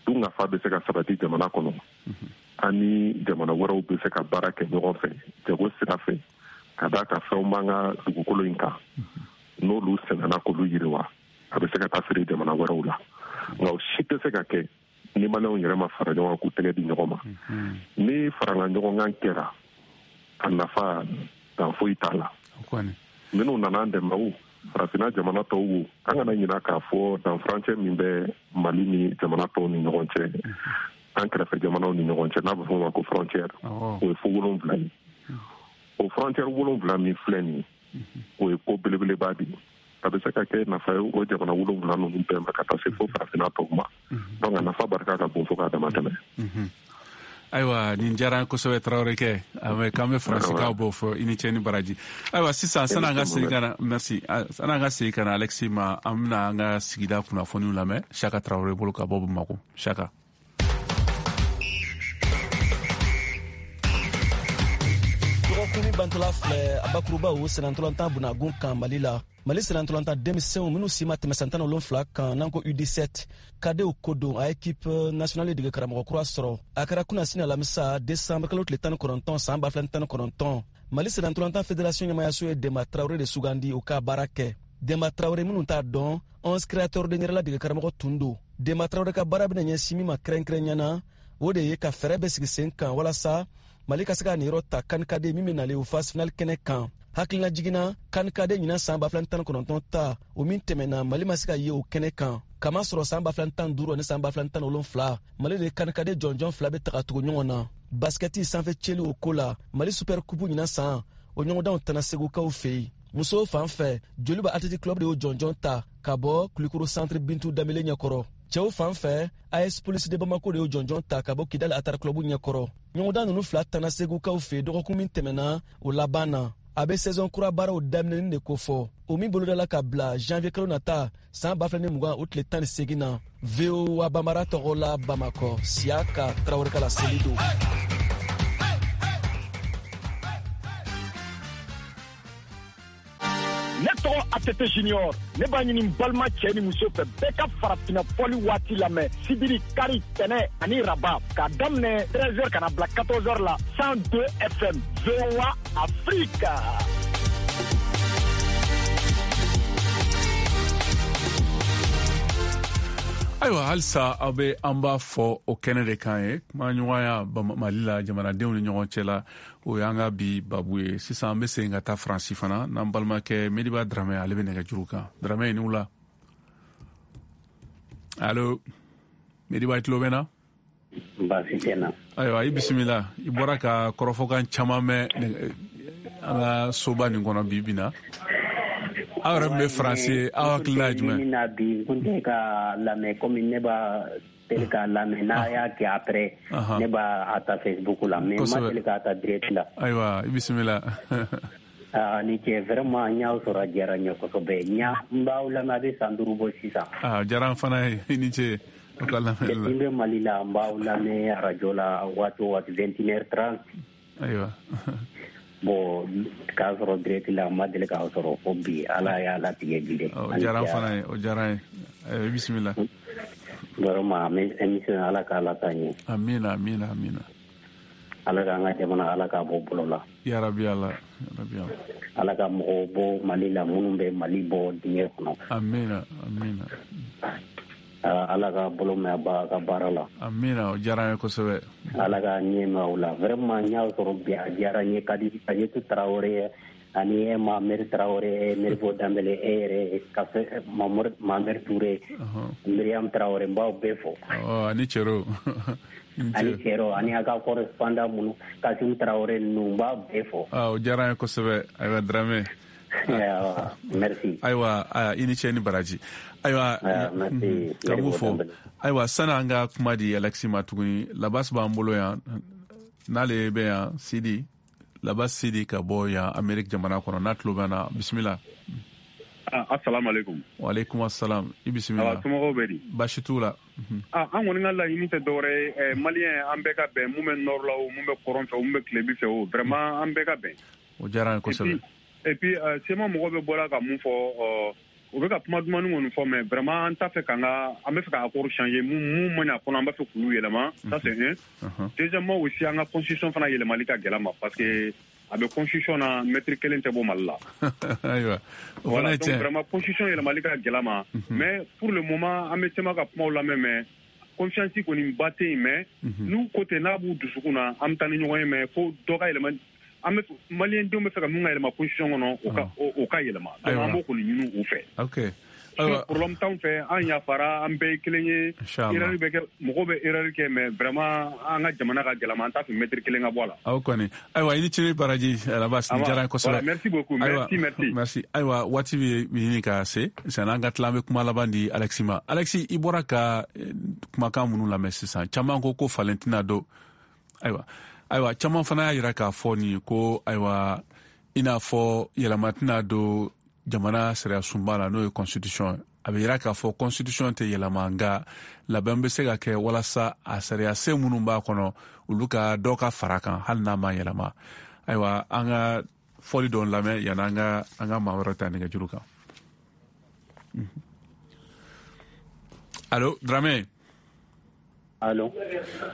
dunkafa bɛ se ka sabati jamana kɔnɔ, ani jamana wɛrɛw bɛ se ka baara kɛ ɲɔgɔn fɛ jago sira fɛ, ka d'a kan fɛnw b'an ka dugukolo in kan, n'olu sɛnɛna k'olu yiriwa, a bɛ se ka taa feere jamana wɛrɛw la. Nka o si tɛ se ka kɛ ni maliyɛnw yɛrɛ ma fara ɲɔgɔn kan k'u tɛgɛ di ɲɔgɔn ma. Ni farala ɲɔgɔn kan kɛra, a nafa dan foyi t'a la. Minnu nana an dɛmɛ o, farafinna jamana tɔw wo, an kana ɲinɛ k'a fɔ danfurancɛ min bɛ Mali ni jamana tɔw ni ɲɔgɔn cɛ, an kɛrɛfɛ jamanaw ni ɲɔgɔn cɛ, n'a bɛ fɔ o ma ko frontière, o ye fo wolonwula ye. O frontière wolonwula min filɛ nin ye, o ye ko belebeleba de ye. A bɛ se ka kɛ nafa ye o jamana wolonwula ninnu bɛɛ ma ka taa se fo farafinna tɔw ma. Donc a nafa barika ka bon fo k'a dama tɛmɛ. Ayiwa, nin diyara n kosɛbɛ Tarawele kɛ, k'an bɛ faransikaw b'o fɔ, i ni ce ni baraji. Ayiwa, sisan san'an ka segin ka na, merci, san'an ka segin ka na Alexis ma, an bɛna an ka sigida kunnafoniw lamɛn Saka Tarawele bolo ka bɔ Bamakɔ. Saka. Dɔgɔkun min bantɔla filɛ, a bakurubaw sennantolatan bunagun kan Mali la. Mali sennantolatan denmisɛnw minnu si ma tɛmɛ san tan ni wolonfila kan, n'an ko U dix-sept, kadew ko don a équipe nationale dege karamɔgɔ kura sɔrɔ. A kɛra kunasini alamisa décembre kalo tile tan ni kɔnɔntɔn san ba fila ni tan ni kɔnɔntɔn. Mali sennantolatan fédération ɲɛmayaso ye Demba Traoré de sugandi o ka baara kɛ. Demba Traoré minnu t'a dɔn, onze créateurs de ɲɛrɛla dege karamɔgɔ tun don. Demba Traoré ka baara bɛna ɲɛsin min ma kɛrɛnkɛrɛnya na, o de ye ka fɛɛrɛ bɛɛ sigi sen kan walasa Mali ka se ka niyɔrɔ ta CAN cadet min bɛ nalen o phase finale kɛnɛ kan. Hakilina jiginna CAN cadet ɲinan san ba fila ni tan ni kɔnɔntɔn ta, o min tɛmɛna Mali ma se ka ye o kɛnɛ kan. Kamasɔrɔ san ba fila ni tan ni duuru ani san ba fila ni tan ni wolonfila, Mali de CAN cadet jɔnjɔn fila bɛ taga tugu ɲɔgɔn na. Basikɛti sanfɛ cɛli o ko la, Mali super coupe ɲinan san, o ɲɔgɔndanw tana Segukaw fɛ yen. Musow fan fɛ, Joliba Athletic Club de y'o jɔnjɔn ta ka bɔ Kulukoro Centre Bintu Danbele ɲɛkɔrɔ. Cɛw fan fɛ, A S Police de Bamako de y'o jɔnjɔn ta ka bɔ Kidali Atar Club ɲɛkɔrɔ. Ɲɔgɔndan ninnu fila tana Segukaw fɛ dɔgɔkun min tɛmɛna o laban na. A bɛ saison kura baaraw daminɛni de kofɔ, o min bolodala ka bila janvier kalo nata san ba fila ni mugan o tile tan ni seegin na. V O A Bambara tɔgɔ la Bamakɔ, Siyaka Tarawele ka laseli don. Ne tɔgɔ A T T Junior, ne b'a ɲini n balima cɛ ni muso fɛ bɛɛ ka farafinna fɔli waati lamɛn sibiri, kari, tɛnɛ ani raba k'a daminɛ treize heures ka na bila quatorze heures la cent deux F M V O A Afrique. Ayiwa, halisa aw bɛ an b'a fɔ o kɛnɛ de kan ye, kumaɲɔgɔnya Mali la jamanadenw ni ɲɔgɔn cɛ la, o y'an ka bi babu ye. Sisan an bɛ segin ka taa Faransi fana n'an balimakɛ Mediba Dramɛ, ale bɛ nɛgɛjuru kan. Dramɛ, i ni wula. Allo Mediba, i tulo bɛ n na? Baasi tɛ n na. Ayiwa, i bisimila. I bɔra ka kɔrɔfɔkan caman mɛn an ka soba nin kɔnɔ bi bi na. Aw yɛrɛ min bɛ Faransi ye, aw hakilina ye jumɛn? Min na bi, n kun tɛ ka lamɛn komi ne b'a deli k'a lamɛn n'a y'a kɛ après ne b'a ta Facebook la, mais n ma deli k'a ta direct la. Ayiwa, i bisimila. Ah, ni ce vraiment n y'aw sɔrɔ a diyara n ye kosɛbɛ. N y'a n b'aw lamɛn a bɛ san duuru bɔ sisan. Ah, diyara n fana ye, i ni ce. Aw ka lamɛnni la. Depuis n bɛ Mali la, n b'aw lamɛn arajo la waati o waati vingt et une heures trente. Ayiwa. Bon, k'a sɔrɔ direct la, n ma deli k'aw sɔrɔ fo bi, Ala y'a latigɛ bi de. O diyara n fana ye, o diyara n ye. Ayiwa, bisimila. Vraiment, émission Ala k'a la taa ɲɛ. Amina, amina, amina. Ala k'an ka jamana, Ala k'a bɔ bolo la. Ya Rabbi Ala, ya Rabbi Ala. Ala ka mɔgɔw bɔ Mali la minnu bɛ Mali bɔ dingɛ kɔnɔ. Amina, amina. Ala ka bolo mɛn a ka baara la. Amina, o diyara n ye kosɛbɛ. Ala ka ɲɛ mɛn aw la. Vraiment, n y'aw sɔrɔ bi, a diyara n ye. Kadi Kajetu Tarawele ani e Mameri Tarawele, Meribo Danbele, e yɛrɛ Kafe Mameri Ture, Miriam Tarawele, n b'aw bɛɛ fo. Ɔ, ani Cɛro. Ani Cɛro, ani a ka correspondant minnu, Kasimu Tarawele ninnu, n b'aw bɛɛ fo. Ah, o diyara n ye kosɛbɛ. Ayiwa, Dramé. Merci. Ayiwa, i ni ce ni baraji. Ayiwa, ka mun fɔ. Ayiwa, sani an ka kuma di Alexi ma tuguni, Labas b'an bolo yan, n'ale bɛ yan, Sidi. Labas Sidi ka bɔ yan Amérique jamana kɔnɔ, n'a tulo b'an na, bisimila. Assalamu alaikum. Wa alaikum assalam. I bisimila. Somɔgɔw bɛ di? Baasi t'u la. Ah, an kɔni ka laɲini tɛ dɔwɛrɛ ye, Malien an bɛɛ ka bɛn, mun bɛ nord la o, mun bɛ kɔrɔn fɛ o, mun bɛ tilebin fɛ o, vraiment an bɛɛ ka bɛn. O diyara an ye kosɛbɛ. Et puis C M A mɔgɔw bɛ bɔra ka mun fɔ, u bɛ ka kuma dumani kɔni fɔ, mais vraiment an t'a fɛ k'an ka, an bɛ fɛ ka accord changer, mun mun man ɲi a kɔnɔ, an b'a fɛ k'olu yɛlɛma, ça c'est un. Deuxièmement aussi, an ka constitution fana yɛlɛmali ka gɛlɛn ma, parce que a bɛ constitution na, mètre kelen tɛ bɔ Mali la. Ayiwa. Voilà, donc vraiment constitution yɛlɛmali ka gɛlɛn ma, mais pour le moment an bɛ C M A ka kumaw lamɛn, mais confiance kɔni ba tɛ yen, mais n'u ko ten n'a b'u dusukun na, an bɛ taa ni ɲɔgɔn ye, mais fo dɔ ka yɛlɛma. An bɛ Malien denw bɛ fɛ ka mun ka yɛlɛma constitution kɔnɔ, o ka o ka yɛlɛma, donc an b'o kɔni ɲini u fɛ. Ok. Problème t'anw fɛ, an yafara, an bɛɛ ye kelen ye. Erreur bɛ kɛ, mɔgɔw bɛ erreur kɛ, mais vraiment an ka jamana ka gɛlɛn, an t'a fɛ mètre kelen ka bɔ a la. Aw kɔni. Ayiwa, i ni ce baraji Labas, ni diyara n ye kosɛbɛ. Merci beaucoup, merci, merci. Merci. Ayiwa, waati bɛ ɲini ka se, sanni an ka tila, an bɛ kuma laban di Alexi ma. Alexi, i bɔra ka kumakan minnu lamɛn sisan, caman ko ko falen tɛna don. Ayiwa. Ayiwa, caman fana y'a jira k'a fɔ nin ko, ayiwa, i n'a fɔ yɛlɛma tɛna don jamana sariya sunba la, n'o ye constitution ye. A bɛ jira k'a fɔ constitution tɛ yɛlɛma, nka labɛn bɛ se ka kɛ walasa a sariya sen minnu b'a kɔnɔ, olu ka dɔ ka fara kan hali n'a ma yɛlɛma. Ayiwa, an ka fɔli dɔ lamɛn yanni an ka an ka maa wɛrɛ ta nɛgɛjuru kan. Allo, Dramé. Allo.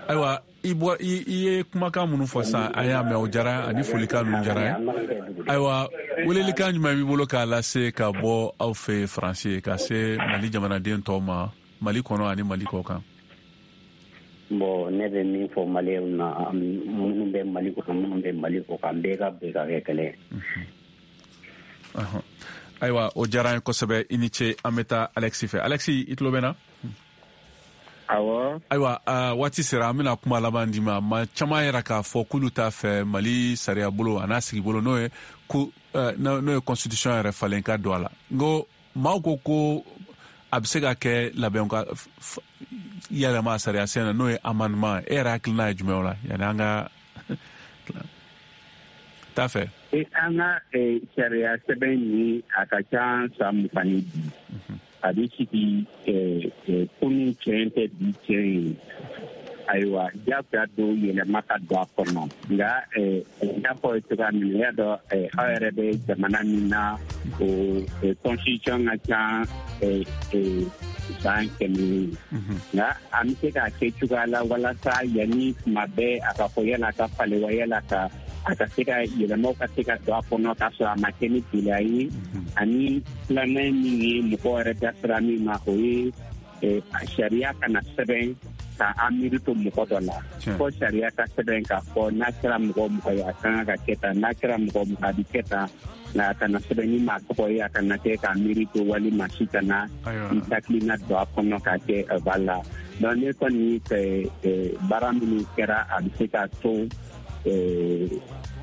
Ayiwa, i bɔ i ye kumakan minnu fɔ sisan, an y'a mɛn, o diyara, ani folikan ninnu diyara ye. Ayiwa, welelikan jumɛn b'i bolo k'a lase ka bɔ aw fɛ Faransi ka se Mali jamanaden tɔw ma, Mali kɔnɔ ani Mali kɔ kan? Bon, ne bɛ min fɔ Maliyɛnw na, minnu bɛ Mali kɔnɔ, minnu bɛ Mali kɔ kan, bɛɛ ka bɛn ka kɛ kelen ye. Ayiwa, o diyara an ye kosɛbɛ, i ni ce. An bɛ taa Alexi fɛ. Alexi, i tulo bɛ n na? Awɔ. Ayiwa, waati sera, an bɛna kuma laban d'i ma. Maa caman yɛrɛ k'a fɔ k'olu t'a fɛ Mali sariya bolo a n'a sigibolo, n'o ye ko n'o ye constitution yɛrɛ falen ka don a la. N ko maaw ko ko a bɛ se ka kɛ labɛn ka yɛlɛma sariya sen na, n'o ye amendement. E yɛrɛ hakilina ye jumɛn o la, yanni an ka t'a fɛ? An ka sariya sɛbɛn nin, a ka ca san mugan ni bi. A bɛ sigi kunun tiɲɛ tɛ bi tiɲɛ ye. Ayiwa, diyagoya don yɛlɛma ka don a kɔnɔ, nka n y'a fɔ cogoya min na, i y'a dɔn aw yɛrɛ bɛ jamana min na, o constitution ka ca san kɛmɛ ye, nka an bɛ se k'a kɛ cogoya la walasa yanni tuma bɛɛ a ka fɔ yala ka falen wa yala ka a ka se ka yɛlɛmaw ka se ka don a kɔnɔ k'a sɔrɔ a ma kɛ ni gɛlɛya ye. Ani filanan min ye mɔgɔ yɛrɛ da sira min ma, o ye sariya kana sɛbɛn ka an miiri to mɔgɔ dɔ la, fo sariya ka sɛbɛn k'a fɔ n'a kɛra mɔgɔ mɔgɔ ye a kan ka kɛ tan, n'a kɛra mɔgɔ mɔgɔ a bɛ kɛ tan, nka a kana sɛbɛn ni maa tɔgɔ ye, a kana kɛ k'a miiri to walima si kana i hakilina don a kɔnɔ k'a kɛ ba la. Donc ne kɔni fɛ baara minnu kɛra, a bɛ se ka to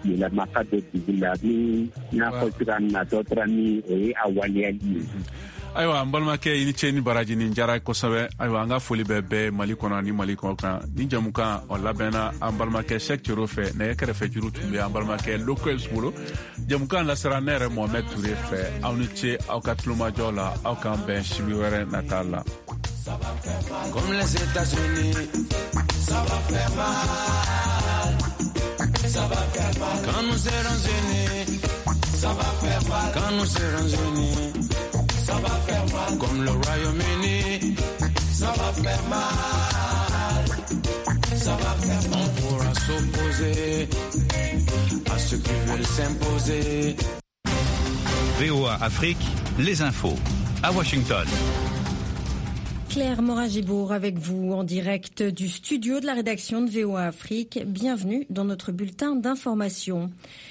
yɛlɛma ka don dugu la, ni n y'a fɔ cogoya min na, dɔ tora min o ye a waleyali ye. Ayiwa, n balimakɛ, i ni ce ni baraji, nin diyara kosɛbɛ. Ayiwa, an ka foli bɛ bɛɛ Mali kɔnɔ ani Mali kɔ kan. Ni jamukan o labɛnna an balimakɛ Sɛk Cero fɛ. Nɛgɛ kɛrɛfɛ juru tun bɛ an balimakɛ Lokels bolo. Jamukan lasera ne yɛrɛ Mohamɛd Ture fɛ. Aw ni ce aw ka tulomajɔ la. Aw k'an bɛn sibi wɛrɛ nata la. Comme les États-Unis, ça va faire mal. Ça va faire mal. Quand nous serons unis, ça va faire mal. Quand nous serons unis, ça va faire mal. Comme le Royaume-Uni, ça va faire mal. Ça va faire mal. On pourra s'opposer à ceux qui veulent s'imposer. V O A Afrique, les infos. À Washington. Claire Moragibourg avec vous en direct du studio de la rédaction de V O A Afrique. Bienvenue dans notre bulletin d'information.